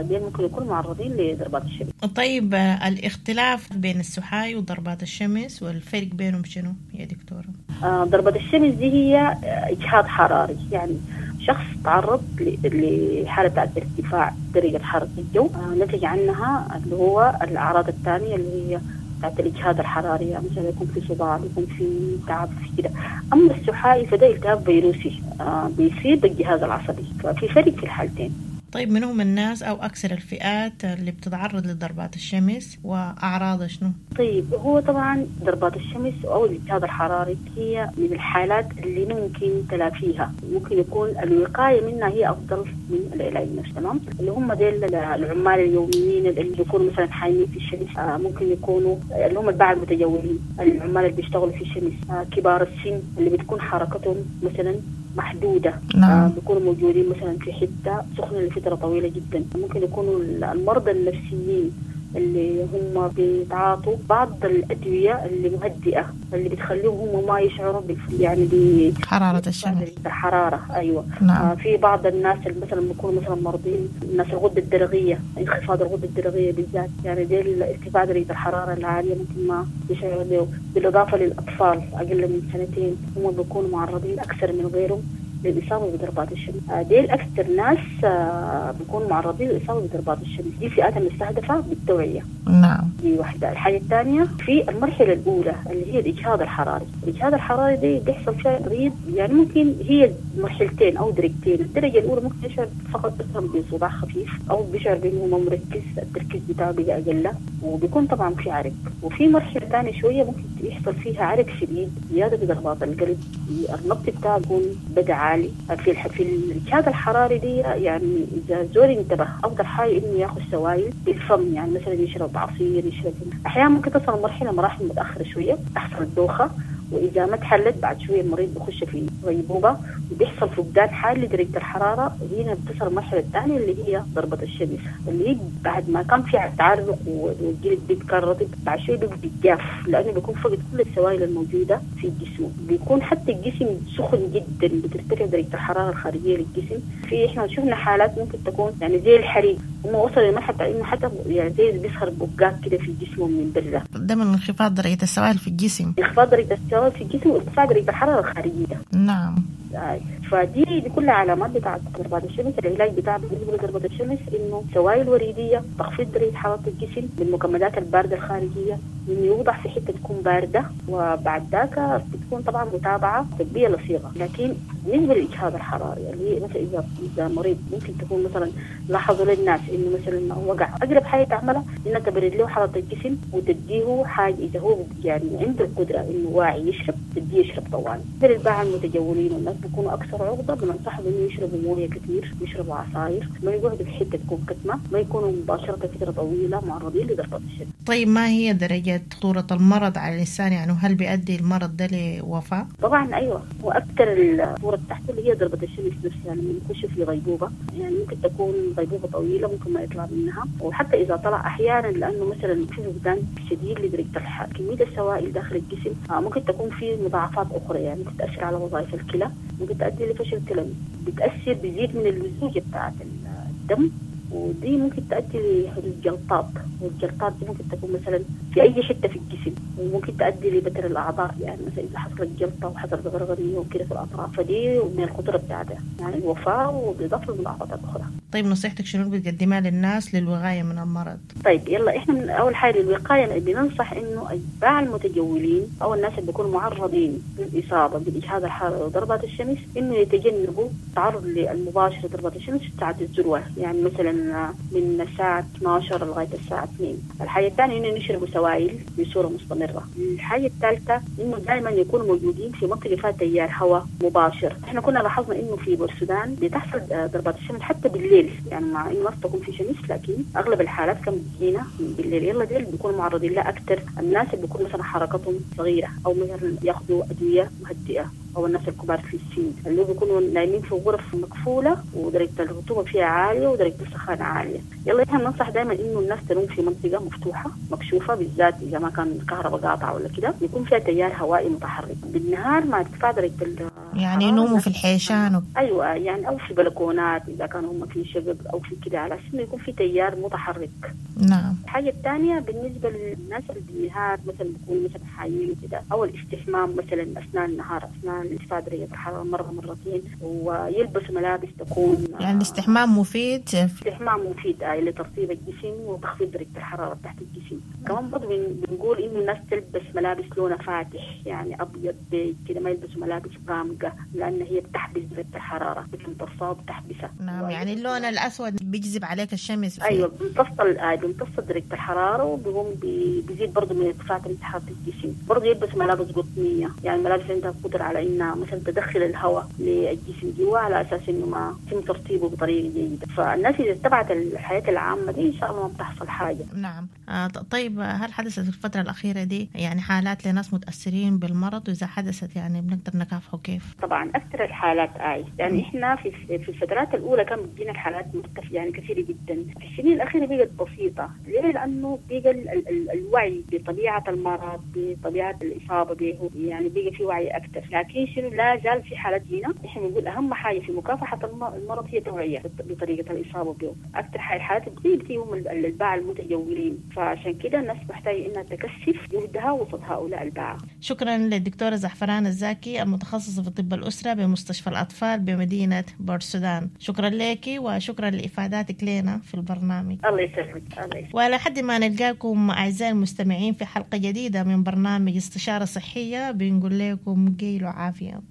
دي ممكن يكونوا معرضين لضربات الشمس. طيب الاختلاف بين السحاي وضربات الشمس والفرق بينهم شنو يا دكتورة؟ ضربات الشمس دي هي إجهاد حراري، يعني شخص تعرض لحالة بتاعت ارتفاع درجة حرارة الجو نتج عنها اللي هو الأعراض الثانية اللي هي بتاعت الإجهاد الحراري، يعني مثلا يكون في صداع، يكون في تعب، في كده. أما السحائي فده التهاب فيروسي بيصيب الجهاز العصبي، ففي فرق في الحالتين. طيب من هم الناس أو أكثر الفئات اللي بتتعرض لضربات الشمس وأعراضها شنو؟ طيب هو طبعا ضربات الشمس أو الإجهاد الحراري هي من الحالات اللي ممكن تلافيها، ممكن يكون الوقاية منها هي أفضل من العلاج نفسه. تمام، اللي هم ديل العمال اليوميين اللي بيكونوا مثلا حايمين في الشمس، ممكن يكونوا اللي هم الباعة المتجولين، العمال اللي بيشتغلوا في الشمس، كبار السن اللي بتكون حركتهم مثلا محدودة. نعم. آه بيكونوا موجودين مثلا في حتة سخنة لفترة طويلة جدا. ممكن يكونوا المرضى النفسيين اللي هم بيتعاطوا بعض الأدوية اللي مهدئة اللي بتخليهم هم ما يشعروا بالف... يعني بحرارة الشمس، الحرارة. أيوة. نعم. آه في بعض الناس اللي مثلا بيكونوا مثلا مرضين، الناس الغدة الدرقية، انخفاض الغدة الدرقية بالذات، يعني دي ارتفاع درجة الحرارة العالية ممكن ما يشعروا به. بالإضافة للأطفال أقل من سنتين هم بيكونوا معرضين أكثر من غيرهم للاصابة بضربات الشمس. ديل اكثر ناس بيكونوا معرضين للاصابة بضربات الشمس، دي فئات المستهدفة بالتوعية. نعم. دي واحدة. الحاجة الثانية في المرحلة الاولى اللي هي الاجهاد الحراري. الاجهاد الحراري دي بيحصل فيها مريض يعني ممكن هي مرحلتين او درجتين. الدرجة الاولى ممكن يشعر فقط مثلا بصداع خفيف او بيشعر بانه ما مركز، التركيز بتاعه بقى اقل، وبيكون طبعا في عرق. وفي مرحلة ثانية شوية ممكن يحصل فيها عرق شديد، زيادة في ضربات القلب، النبض بتاعه بيكون بدا عالي. في في الاجهاد الحراري دي يعني اذا زول انتبه افضل حاجة انه ياخذ سوائل بالفم، يعني مثلا يشرب عصير، يشرب. احيانا ممكن تصل مرحلة مراحل متاخرة شوية تحصل الدوخه، واذا ما تحلت بعد شوية المريض بخش في غيبوبة وبيحصل فقدان حاد لدرجة الحرارة. هنا بتصل المرحلة الثانية اللي هي ضربه الشمس، اللي هي بعد ما كان في تعرق والجلد بيبقى رطب، بعد شوية بيبقى جاف لانه بيكون فقد كل السوائل الموجودة في جسمه، بيكون حتى الجسم سخن جدا، بترتفع درجه الحرارة الخارجية للجسم. في احنا شفنا حالات ممكن تكون يعني زي الحريق، هم وصلوا لمرحلة انه حتى يعني زي بيظهر بقات كده في جسمه من برا. ده من انخفاض درجه السوائل في الجسم. انخفاض درجه السوائل في الجسم وارتفاع درجه الحرارة الخارجية. نعم. فدي دي كلها علامات بتاعت ضربات الشمس. العلاج بتاع بالنسبة لضربه الشمس انه سوائل وريديه، تخفيض درجه حرارة الجسم بالمكمدات البارده الخارجية، انه يوضع في حتة تكون باردة، وبعد ذاك بتكون طبعا متابعه طبية لصيغه. لكن بالنسبة للاجهاد الحراري اللي هي مثلا اذا اذا مريض ممكن تكون مثلا لاحظوا للناس انه مثلا وقع، اقرب حاجة تعملها انك تبرد له حرارة الجسم وتديه حاجة اذا هو يعني عنده القدرة انه واعي يشرب، تديه يشرب طوال. الباعة المتجولين والناس بيكونوا اكثر عرضه، بننصحهم انه يشربوا مويه كثير، يشربوا عصاير، ما يقعدوا في حتة تكون كتمه، ما يكونوا مباشرة فترة طويلة معرضين لضربات الشمس. طيب ما هي درجه خطورة المرض على الانسان؟ يعني هل بيؤدي المرض ده لوفاه؟ طبعا ايوه، واكثر الخطورة بتاعته اللي هي ضربه الشمس نفسها لما يخش في غيبوبة، يعني ممكن تكون غيبوبة طويلة ممكن ما يطلع منها، وحتى اذا طلع احيانا لانه مثلا في فقدان شديد لدرجة الحرارة، كمية السوائل داخل الجسم ممكن تكون في مضاعفات اخرى، يعني ممكن تاثر على وظائف الكلى، ممكن تؤدي لفشل كلوي، بتاثر بيزيد من اللزوجه بتاعت الدم، ودي ممكن تؤدي لحدوث جلطات، والجلطات دي ممكن تكون مثلا في اي حتة في الجسم، وممكن تؤدي لبتر الاعضاء، يعني مثلا اذا حصلت جلطة وحصلت غرغريه وكده في الاطراف، فدي من الخطورة بتاعتها يعني الوفاة وبالاضافة للمضاعفات الاخرى. طيب نصيحتك شنو بتقدمها للناس للوقايه من المرض؟ طيب يلا احنا من اول حاجة للوقايه بننصح انه اتباع المتجولين او الناس اللي بيكونوا معرضين للاصابة بالاجهاد الحراري وضربات الشمس انه يتجنبوا التعرض المباشر لضربات الشمس في ساعات الذروة، يعني مثلا من الساعة اثنا عشر لغاية الساعة اثنين. الحاجة الثانية انه يشربوا سوائل بصورة مستمرة. الحاجة الثالثة انه دائما يكونوا موجودين في منطقة فيها تيار هواء مباشر. احنا كنا لاحظنا انه في بورسودان بتحصل ضربات الشمس حتى بالليل، يعني مع انه ما تكون في شمس لكن اغلب الحالات كان بتجينا بالليل. يلا ديل بيكونوا معرضين لها اكثر الناس اللي بيكون مثلا حركتهم صغيرة او مثلا ياخذوا ادوية مهدئه، او الناس الكبار في السن اللي بيكونوا نايمين في غرف مقفولة ودرجة الرطوبة فيها عالية ودرجة السخانه عالية. يلا احنا بننصح دائما انه الناس تنوم في منطقة مفتوحة مكشوفة، بالذات اذا ما كان الكهرباء قاطعه ولا كده، يكون فيها تيار هوائي متحرك بالنهار مع ارتفاع درجه يعني ينوموا في الحيشان و... ايوه يعني او في بلكونات اذا كانوا هم في شقق او في كده، على اساس انه يكون في تيار متحرك. نعم. الحاجة الثانية بالنسبة للناس اللي بالنهار مثلا بيكونوا مثلا حايمين وكده، او الاستحمام مثلا اثناء النهار اثناء ارتفاع درجه الحرارة مرة مرتين، ويلبسوا ملابس تكون يعني الاستحمام مفيد. الاستحمام مفيد آه لترطيب الجسم وتخفيض درجه الحرارة تحت الجسم. كمان برضه بنقول انه الناس تلبس ملابس لونها فاتح، يعني ابيض بيج كده، ما يلبسوا ملابس غامقه لان هي بتحبس درجه الحرارة، بتمتصها وبتحبسها. نعم، يعني اللون الاسود بيجذب عليك الشمس. ايوه بيمتص بيمتص درجه الحرارة وبيقوم بيزيد برضه من ارتفاع درجه حرارة الجسم. برضه يلبس ملابس قطنيه، يعني ملابس عندها قدره على انها مثلا تدخل الهواء للجسم جوا على اساس انه ما يتم ترطيبه بطريقة جيدة. فالناس اذا اتبعت الحياة العامة دي ان شاء الله ما بتحصل حاجة. نعم. آه طيب هل حدثت في الفترة الاخيرة دي يعني حالات لناس متاثرين بالمرض، واذا حدثت يعني بنقدر نكافحه كيف؟ طبعا اكثر الحالات اي يعني احنا في في الفترات الاولى كان بتجينا الحالات مرتفعة يعني كثيرة جدا، في السنين الاخيرة بقت بسيطة. بسيطة. ليه؟ لأنه بقى ال ال الوعي بطبيعة المرض، بطبيعة الإصابة به، يعني بقى في وعي أكثر. لكن شنو، لا زال في حالات هنا إحنا بنقول أهم حاجة في مكافحة المرض هي التوعية بطريقة الإصابة به. أكثر حالات بتصيب هم الباعة المتجولين، فعشان كده الناس محتاجة إنها تكثف جهدها وسط هؤلاء الباعة. شكرا للدكتورة زعفران الزاكي المتخصصة في طب الأسرة بمستشفى الأطفال بمدينة بورسودان. شكرا لك وشكرا لإفاداتك لنا في البرنامج. الله يسلمك. الله يسلمك. ولحد ما نلقاكم أعزائي المستمعين في حلقة جديدة من برنامج استشارة صحية، بنقول لكم قيلوا عافية.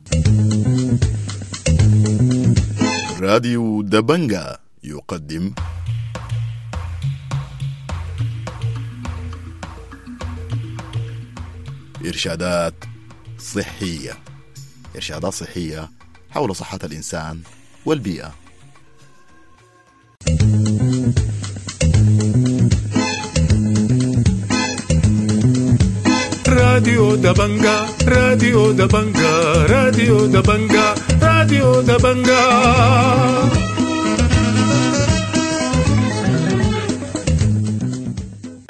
راديو دبنجا يقدم إرشادات صحية، إرشادات صحية حول صحة الإنسان والبيئة. راديو دبنجا، راديو دبنجا، راديو دبنجا، راديو دبنجا.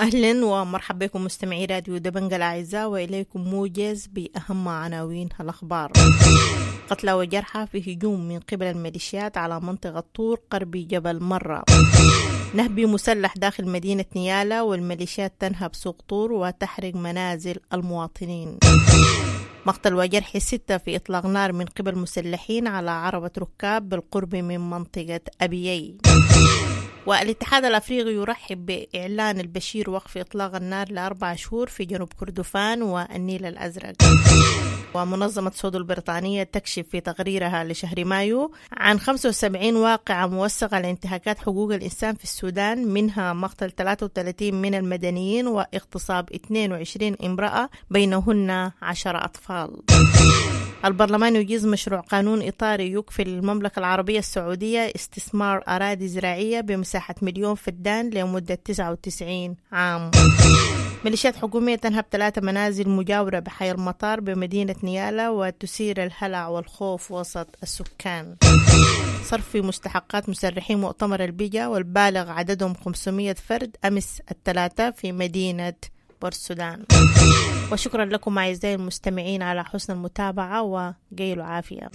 أهلا ومرحبا بكم مستمعي راديو دبنجا الأعزاء، وإليكم موجز بأهم عناوين الأخبار. قتلى وجرحى في هجوم من قبل الميليشيات على منطقة طور قرب جبل مرة. نهب مسلح داخل مدينة نيالا، والميليشيات تنهب سوق طور وتحرق منازل المواطنين. مقتل وجرح ستة في إطلاق نار من قبل مسلحين على عربة ركاب بالقرب من منطقة أبيي. والاتحاد الأفريقي يرحب بإعلان البشير وقف إطلاق النار لأربع شهور في جنوب كردفان والنيل الأزرق. ومنظمة سودو البريطانية تكشف في تقريرها لشهر مايو عن خمسة وسبعين واقعة موثقة لانتهاكات حقوق الإنسان في السودان، منها مقتل ثلاثة وثلاثين من المدنيين واغتصاب اثنين وعشرين امرأة بينهن عشر أطفال. البرلمان يجيز مشروع قانون إطاري يكفل المملكة العربية السعودية استثمار أراضي زراعية بمساحة مليون فدان لمدة تسعة وتسعين عام. ميليشيات حكومية تنهب ثلاثة منازل مجاورة بحي المطار بمدينة نيالا وتثير الهلع والخوف وسط السكان. صرف مستحقات مسرحي مؤتمر البيجا والبالغ عددهم خمسمائة فرد أمس الثلاثاء في مدينة بورسودان. وشكرا لكم أعزائي المستمعين على حسن المتابعة وقيلوا عافية.